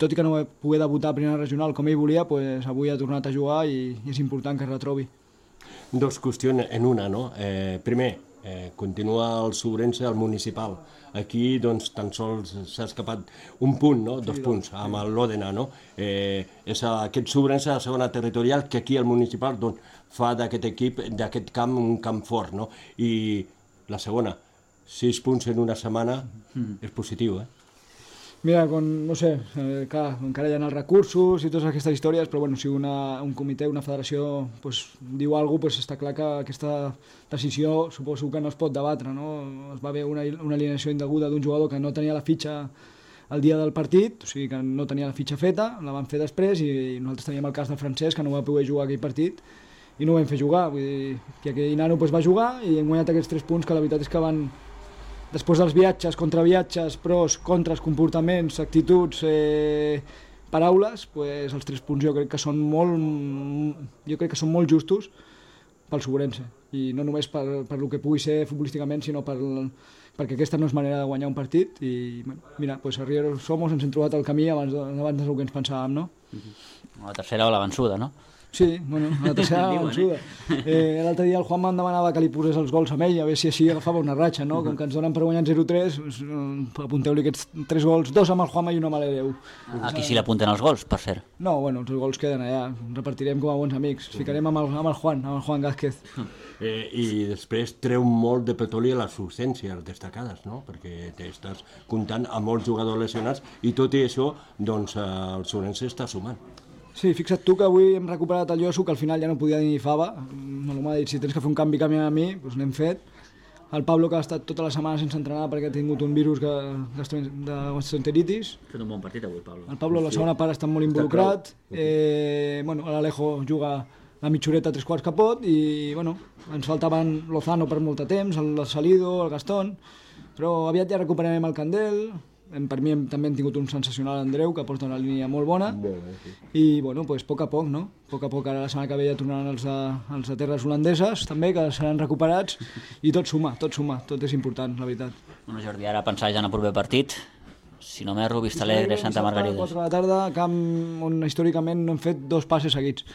tot i que no va poder debutar a primera regional com ell volia, avui ha tornat a jugar i és important que es retrobi. Dos qüestions en una, no? Primer, continua el Sobrense al municipal. Aquí doncs tan sols s'ha escapat un punt, no? 2 punts amb l'Òdena, no? És aquest Sobrense a la segona territorial que aquí al municipal fa d'aquest equip, d'aquest camp, un camp fort, no? I la segona, 6 punts en una setmana és positiu, Mira, no sé, clar, encara hi ha els recursos i totes aquestes històries, però bueno, si un comitè, una federació diu alguna cosa, està clar que aquesta decisió suposo que no es pot debatre, no? Es va haver una alineació indeguda d'un jugador que no tenia la fitxa el dia del partit, o sigui que no tenia la fitxa feta, la van fer després i nosaltres teníem el cas del Francesc que no va poder jugar aquell partit i no ho vam fer jugar, vull dir que aquell nano va jugar i hem guanyat aquests 3 punts que la veritat és que van... Després dels viatges, contraviatges, pros, contres, comportaments, actituds, paraules, els 3 punts jo crec que són molt justos pel Sobrense. I no només per el que pugui ser futbolísticament, sinó perquè aquesta no és manera de guanyar un partit. I mira, a Riero Somos ens hem trobat el camí abans del que ens pensàvem, no? La tercera o la vençuda, no? Sí, bueno, la tercera vençuda. L'altre dia el Juan em demanava que li posés els gols a ell, a veure si així agafava una ratxa, no? Com que ens donen per guanyar 0-3, apunteu-li aquests 3 gols, 2 amb el Juanma i 1 amb l'Hereu. Aquí sí l'apunten els gols, per cert. No, bueno, els gols queden allà, repartirem com a bons amics, ficarem amb el Juan Gázquez. I després treu molt de petroli a les ausències destacades, no? Perquè t'estàs comptant amb molts jugadors lesionats i tot i això, doncs el Sobrense està sumant. Sí, fixa't tu que avui hem recuperat el Lloso, que al final ja no podia dir ni fava. M'ha dit, si tens que fer un canvi a mi, doncs l'hem fet. El Pablo, que ha estat tota la setmana sense entrenar perquè ha tingut un virus de gastroenteritis. Ha fet un bon partit avui, Pablo. El Pablo a la segona part està molt involucrat. L'Alejo juga la mitjoreta 3/4 que pot i ens faltaven Lozano per molt de temps, el Salido, el Gastón, però aviat ja recuperarem el Candel. Per mi també hem tingut un sensacional Andreu, que porta una línia molt bona. I, a poc a poc, no? A poc a poc, ara la setmana que ve ja tornaran els de terres holandeses, també, que seran recuperats, i tot suma, tot és important, la veritat. Bueno, Jordi, ara pensar ja en el proper partit, si no m'erro, Vistalegre, Santa Margarida. 4 de la tarda, camp on històricament no hem fet 2 passes seguits.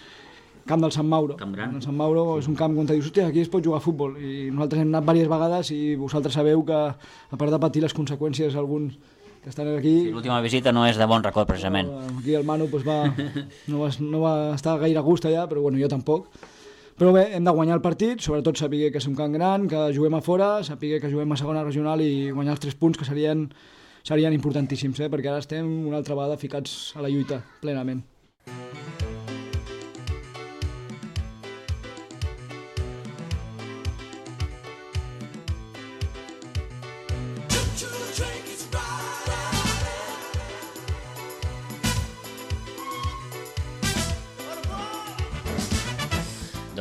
Camp del Sant Mauro. Camp gran. El Sant Mauro és un camp on dius, hòstia, aquí es pot jugar a futbol. I nosaltres hem anat diverses vegades i vosaltres sabeu que, a part de patir les conseqüències alguns que estan aquí... Sí, l'última visita no és de bon record, precisament. Aquí el Manu no va estar gaire a gust allà, però jo tampoc. Però bé, hem de guanyar el partit, sobretot saber que és un camp gran, que juguem a fora, saber que juguem a segona regional i guanyar els 3 punts, que serien importantíssims, perquè ara estem una altra vegada ficats a la lluita, plenament.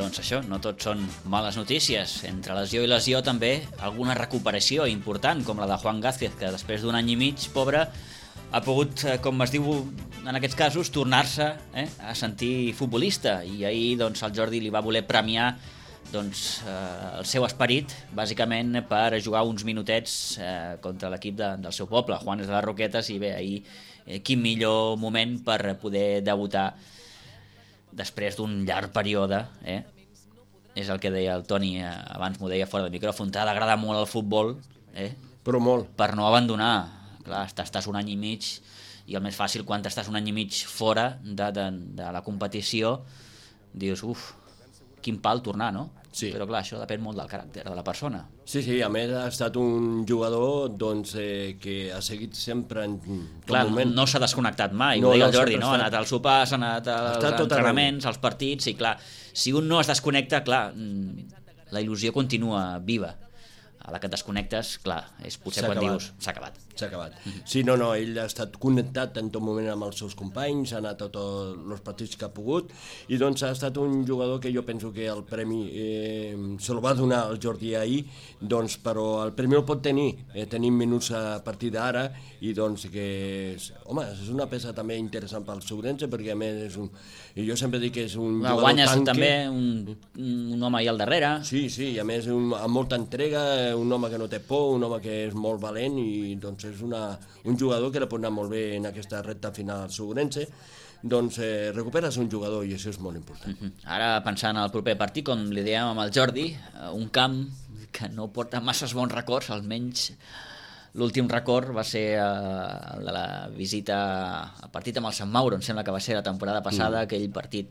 doncs això, no tot són males notícies. Entre lesió i lesió també alguna recuperació important, com la de Juan Gázquez, que després d'un any i mig, pobre, ha pogut, com es diu en aquests casos, tornar-se a sentir futbolista. I ahir doncs, el Jordi li va voler premiar doncs, el seu esperit, bàsicament per jugar uns minutets contra l'equip del seu poble, Juanes de les Roquetes, i bé, ahir quin millor moment per poder debutar després d'un llarg període, és el que deia el Toni, abans m'ho deia fora de micròfon, t'ha d'agradar molt el futbol, però molt, per no abandonar. Clar, estàs un any i mig, i el més fàcil quan estàs un any i mig fora de la competició, dius, quin pal tornar, no? Sí. Però clar, això depèn molt del caràcter de la persona. Sí, a més ha estat un jugador doncs, que ha seguit sempre en tot moment. No s'ha desconnectat mai, ho deia el Jordi, no? Ha anat al sopar, s'ha anat als entrenaments, als partits, i clar, si un no es desconnecta, clar, la il·lusió continua viva. A la que et desconnectes, clar, és potser quan dius s'ha acabat. S'ha acabat. Sí, no, ell ha estat connectat en tot moment amb els seus companys, ha anat a tots els partits que ha pogut, i doncs ha estat un jugador que jo penso que el premi se'l va donar el Jordi ahir, doncs, però el premi el pot tenir, tenim minuts a partir d'ara, i doncs que, home, és una peça també interessant pel Ourense, perquè a més és un... Jo sempre dic que és un jugador guanyes tanque. També un home ahí al darrere. Sí, i a més amb molta entrega, un home que no té por, un home que és molt valent, i doncs és un jugador que li pot anar molt bé en aquesta recta final al Ourense. Doncs recuperes un jugador i això és molt important. Ara pensant al proper partit, com li dèiem amb el Jordi, un camp que no porta masses bons records, almenys l'últim record va ser el de la visita al partit amb el Sant Mauro, em sembla que va ser la temporada passada, aquell partit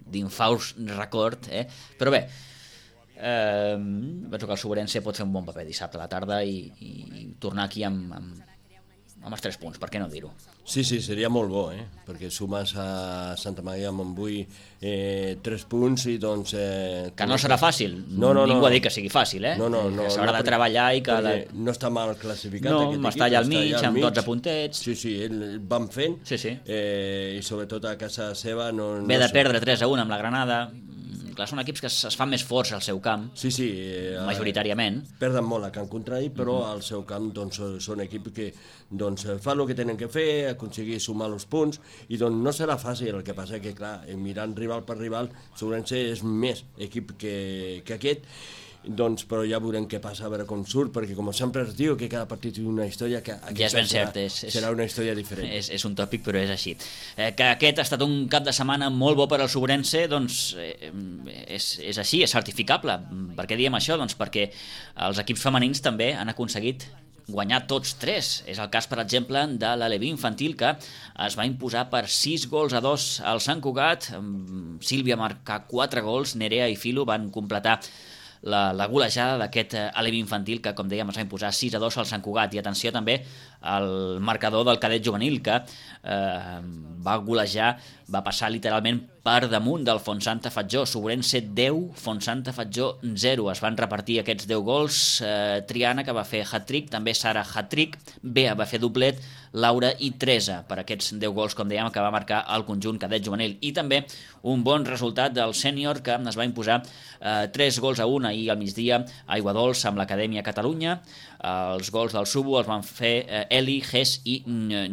d'infaust record, però bé, penso que el Ourense pot fer un bon paper dissabte a la tarda i tornar aquí amb els 3 punts, per què no dir-ho? Sí, seria molt bo, perquè sumes a Santa Maria de Montbui 3 punts i doncs... Que no serà fàcil, ningú ha dit que sigui fàcil, que s'haurà de treballar i que... No està mal classificat aquest equip. No, està allà al mig, amb 12 puntets. Sí, van fent, i sobretot a casa seva... Ve de perdre 3-1 amb la Granada... Clar, són equips que es fan més forts al seu camp, majoritàriament. Perden molt a camp contrari, però al seu camp doncs, són equips que doncs, fan el que tenen que fer, aconseguir sumar els punts, i doncs no serà fàcil. El que passa que, clar, mirant rival per rival, Ourense és més equip que aquest, doncs, però ja veurem què passa, a veure com surt, perquè com sempre es diu que cada partit té una història, que ja és ben cert, serà una història diferent. És un tòpic, però és així. Que aquest ha estat un cap de setmana molt bo per al Ourense, doncs és així, és certificable. Per què diem això? Doncs perquè els equips femenins també han aconseguit guanyar tots 3. És el cas, per exemple, de l'Aleví infantil, que es va imposar per 6-2 al Sant Cugat. Sílvia marcà 4 gols, Nerea i Filo van completar la golejada d'aquest Aleví infantil que, com dèiem, es va imposar 6-2 al Sant Cugat. I atenció també al marcador del cadet juvenil, que va golejar, va passar literalment per damunt del Fontsanta Fatjó. Ourense 10, Fontsanta Fatjó 0. Es van repartir aquests 10 gols. Triana, que va fer hat-trick, també Sara hat-trick, Bea va fer doblet, Laura i Teresa per aquests 10 gols, com dèiem, que va marcar el conjunt cadet juvenil. I també un bon resultat del sènior, que es va imposar 3-1 ahir al migdia a Aiguadols amb l'Acadèmia Catalunya. Els gols del Subo els van fer Eli, Ges i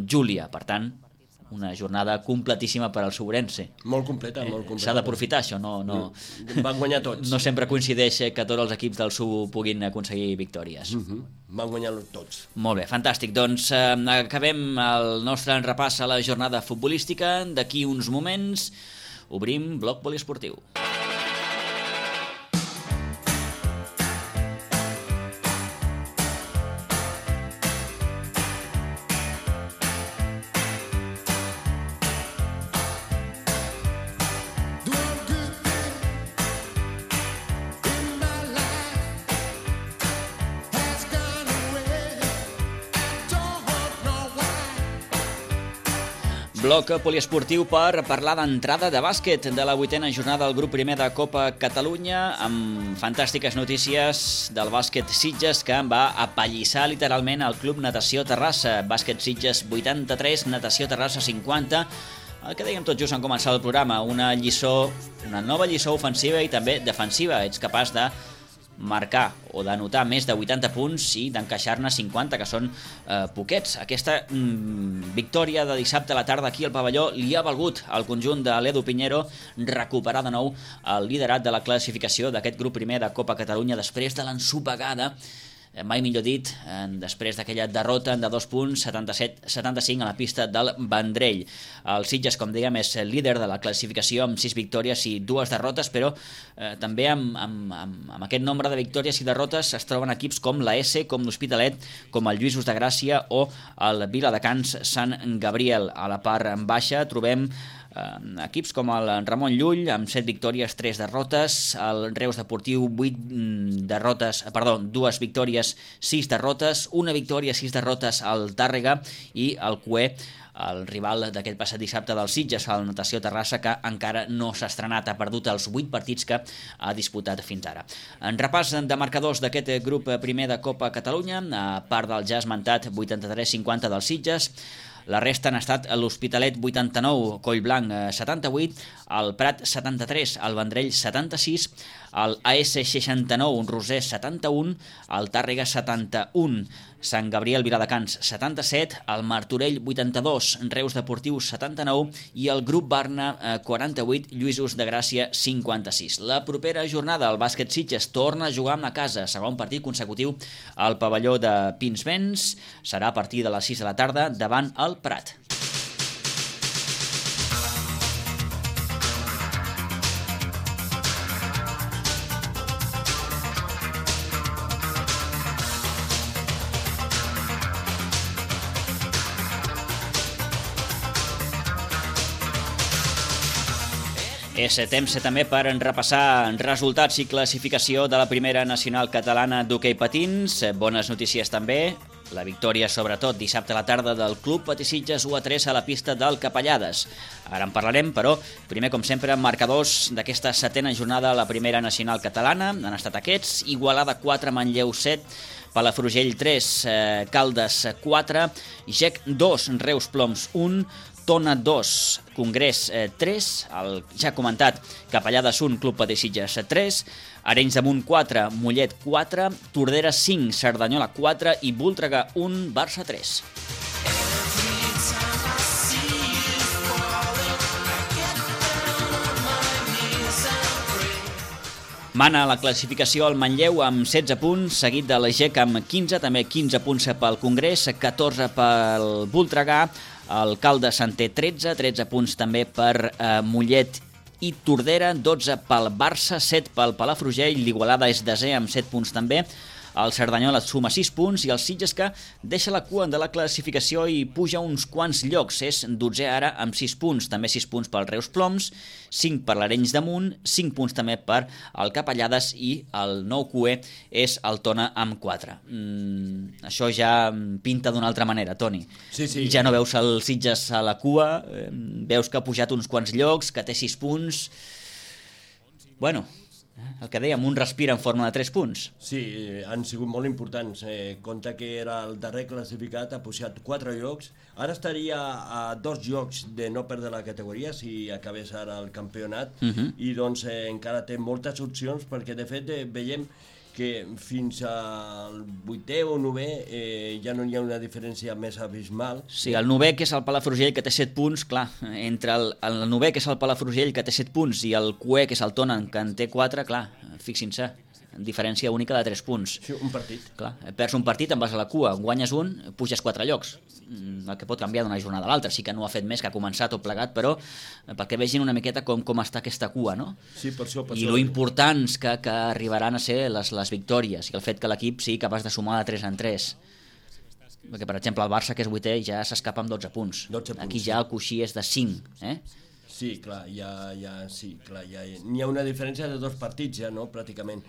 Júlia. Per tant, una jornada completíssima per al Ourense. Molt completa, molt completa. S'ha d'aprofitar això, no... Van guanyar tots. No sempre coincideix que tots els equips del Subo puguin aconseguir victòries. Van guanyar tots. Molt bé, fantàstic. Doncs acabem el nostre repàs a la jornada futbolística. D'aquí uns moments obrim bloc poliesportiu. Bloc poliesportiu per parlar d'entrada de bàsquet de la 8a jornada del grup primer de Copa Catalunya, amb fantàstiques notícies del bàsquet Sitges, que va apallissar literalment el Club Natació Terrassa. Bàsquet Sitges 83, Natació Terrassa 50, El que dèiem tot just en començar el programa, una nova lliçó ofensiva i també defensiva. Ets capaç de marcar o d'anotar més de 80 punts i d'encaixar-ne 50, que són poquets. Aquesta victòria de dissabte a la tarda aquí al pavelló li ha valgut al conjunt de l'Edu Piñero recuperar de nou el liderat de la classificació d'aquest grup primer de Copa Catalunya després de l'ensopegada, mai millor dit, després d'aquella derrota de 2 punts, 77-75 a la pista del Vendrell. El Sitges, com dèiem, és líder de la classificació amb 6 victòries i 2 derrotes, però també amb aquest nombre de victòries i derrotes es troben equips com la S, com l'Hospitalet, com el Lluïsos de Gràcia o el Viladecans Sant Gabriel. A la part baixa trobem equips com el Ramon Llull amb 7 victòries, 3 derrotes, el Reus Deportiu 2 victòries, 6 derrotes, 1 victòria, 6 derrotes al Tàrrega, i el CUE, el rival d'aquest passat dissabte del Sitges, el Natació Terrassa, que encara no s'ha estrenat, ha perdut els 8 partits que ha disputat fins ara. En repàs de marcadors d'aquest grup primer de Copa Catalunya, a part del ja esmentat 83-50 del Sitges, la resta han estat l'Hospitalet 89, Collblanc 78, el Prat 73, el Vendrell 76, el AS 69, Roser 71, el Tàrrega 71, Sant Gabriel Viladecans 77, el Martorell 82, Reus Deportiu 79 i el Grup Barna 48, Lluïsos de Gràcia 56. La propera jornada el bàsquet Sitges torna a jugar a casa, segon partit consecutiu al pavelló de Pinsbens, serà a partir de les 6 de la tarda davant el Prat. És temps també per repassar resultats i classificació de la primera nacional catalana d'hoquei patins. Bones notícies també. La victòria, sobretot, dissabte a la tarda del Club Patí Sitges 1-3 a la pista del Capellades. Ara en parlarem, però primer, com sempre, marcadors d'aquesta setena jornada a la primera nacional catalana. Han estat aquests: Igualada 4, Manlleu 7, Palafrugell 3, Caldes 4, GEC 2, Reus Ploms 1, Tona 2, Congrés 3, el ja comentat Capellades 1, Club Patí Sitges 3, Arenys de Munt 4, Mollet 4, Tordera 5, Cerdanyola 4 i Voltregà 1, Barça 3. Mana la classificació el Manlleu amb 16 punts, seguit de la GEC amb 15, també 15 punts pel Congrés, 14 pel Voltregà, el Caldes en té 13 punts també per Mollet i Tordera, 12 pel Barça, 7 pel Palafrugell, l'Igualada és desè amb 7 punts també, el Cerdanyola suma 6 punts i el Sitges, que deixa la cua de la classificació i puja uns quants llocs, és 12è ara amb 6 punts, també 6 punts pel Reus Ploms, 5 per l'Arenys de Munt, 5 punts també per el Capellades i el nou QE és el Tona amb 4. Això ja pinta d'una altra manera, Toni. Sí. Ja no veus el Sitges a la cua, veus que ha pujat uns quants llocs, que té 6 punts. Bueno, el que dèiem, un respir en forma de 3 punts. Sí, han sigut molt importants. Compte que era el darrer classificat, ha pujat 4 llocs. Ara estaria a 2 llocs de no perdre la categoria si acabés ara el campionat. I doncs encara té moltes opcions, perquè de fet veiem que fins al 8è o 9è ja no hi ha una diferència més abismal. Sí, el 9è, que és el Palafrugell, que té 7 punts, clar, entre el 9è, que és el Palafrugell, que té 7 punts, i el QE, que és el Tona, que en té 4, clar, fixin-se, diferència única de 3 punts. Sí, un partit. Clar, perds un partit, en vas a la cua, guanyes un, puges 4 llocs. El que pot canviar d'una jornada a l'altra. Sí que no ha fet més, que ha començat tot plegat, però perquè vegin una miqueta com està aquesta cua, no? Sí, per això. I lo importants que arribaran a ser les victòries, i el fet que l'equip sigui capaç de sumar de 3 en 3. Perquè, per exemple, el Barça, que és 8è, ja s'escapa amb 12 punts. Aquí ja el coixí és de 5, Sí, clar, ja n'hi ha una diferència de 2 partits ja, no?, pràcticament.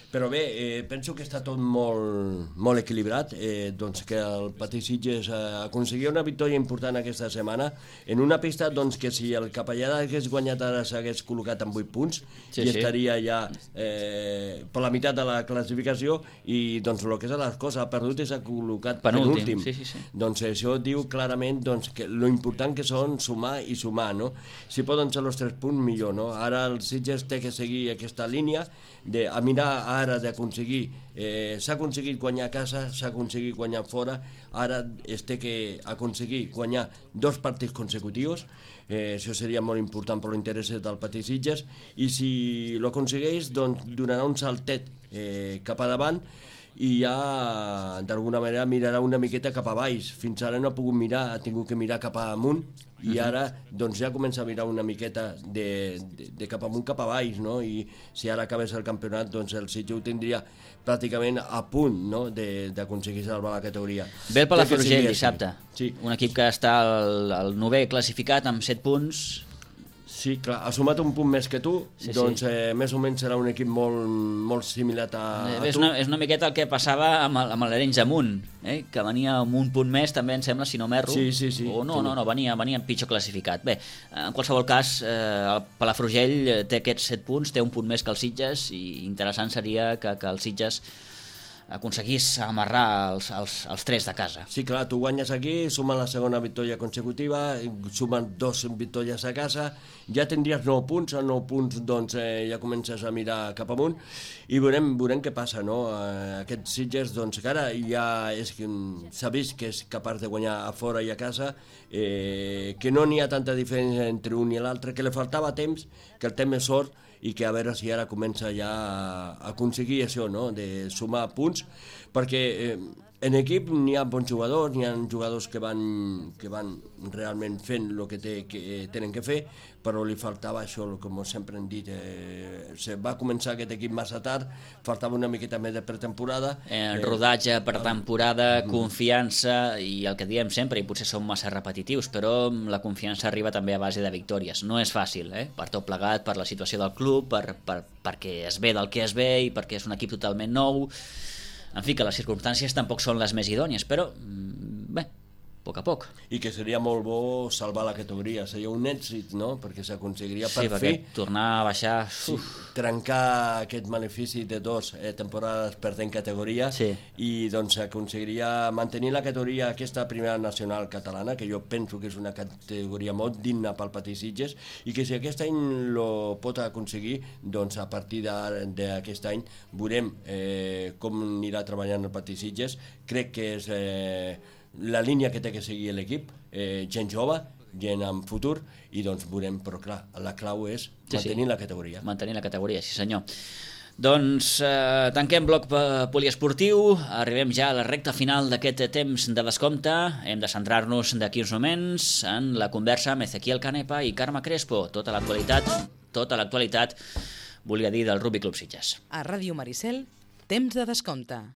Però bé, penso que està tot molt equilibrat, doncs que el Patí Sitges aconseguia una victòria important aquesta setmana en una pista doncs, que si el Capellada hagués guanyat ara s'hagués col·locat amb 8 punts estaria ja per la meitat de la classificació i doncs el que és les coses, ha perdut i s'ha col·locat penúltim. Doncs això diu clarament doncs, que lo important que són sumar i sumar, no? Si poden ser els 3 punts, millor, no? Ara el Sitges té que seguir aquesta línia a mirar ara d'aconseguir, s'ha aconseguit guanyar a casa, s'ha aconseguit guanyar fora, ara es té que aconseguir guanyar 2 partits consecutius, això seria molt important per l'interès del Patí Sitges, i si ho aconsegueix, doncs donarà un saltet cap a davant i ja d'alguna manera mirarà una miqueta cap a baix. Fins ara no ha pogut mirar, ha tingut que mirar cap amunt i ara doncs, ja comença a mirar una miqueta de cap amunt cap a baix, no? I si ara acabés el campionat, doncs el Sitges ho tindria pràcticament a punt, no? D'aconseguir salvar la categoria. Ve el Palafrugell dissabte, un equip que està al 9è classificat amb 7 punts. Sí, clar, ha sumat un punt més que tu, doncs més o menys serà un equip molt similar a tu. És una miqueta el que passava amb l'Arenys Amunt, que venia amb un punt més, també em sembla, si no m'erro. Sí. O no, venia pitjor classificat. Bé, en qualsevol cas, el Palafrugell té aquests 7 punts, té un punt més que el Sitges, i interessant seria que el Sitges aconseguís amarrar els 3 de casa. Sí, clar, tu guanyes aquí, sumen la segona victòria consecutiva, sumen 2 victòries a casa, ja tindries 9 punts, a 9 punts doncs ja comences a mirar cap amunt i veurem què passa, no? Aquest Sitges, doncs que ara ja s'ha vist que és capaç de guanyar a fora i a casa, que no n'hi ha tanta diferència entre un i l'altre, que li faltava temps, que el temps és sort, i que a veure si ara comença ja a aconseguir això, no? De sumar punts, perquè en equip n'hi ha bons jugadors, n'hi ha jugadors que van realment fent el que tenen que fer, però li faltava això, com sempre hem dit, va començar aquest equip massa tard, faltava una miqueta més de pretemporada. Rodatge, pretemporada, confiança, i el que diem sempre, i potser som massa repetitius, però la confiança arriba també a base de victòries. No és fàcil, per tot plegat, per la situació del club, perquè es ve del que es ve i perquè és un equip totalment nou. En fi, que les circumstàncies tampoc són les més idònies, però bé, a poc a poc. I que seria molt bo salvar la categoria, seria un èxit, no? Perquè s'aconseguiria per fi tornar a baixar, trencar aquest malefici de 2 temporades perdent categoria i doncs s'aconseguiria mantenir la categoria aquesta primera nacional catalana, que jo penso que és una categoria molt digna pel Patí Sitges, i que si aquest any lo pot aconseguir, doncs a partir d'aquest any veurem com anirà treballant el Patí Sitges. Crec que és la línia que té que seguir l'equip, gent jove, gent amb futur, i doncs veurem, però clar, la clau és mantenir la categoria. Mantenir la categoria, sí senyor. Doncs tanquem bloc poliesportiu, arribem ja a la recta final d'aquest temps de descompte, hem de centrar-nos d'aquí uns moments en la conversa amb Ezequiel Canepa i Carme Crespo, tota l'actualitat, volia dir, del Rugby Club Sitges. A Ràdio Maricel, temps de descompte.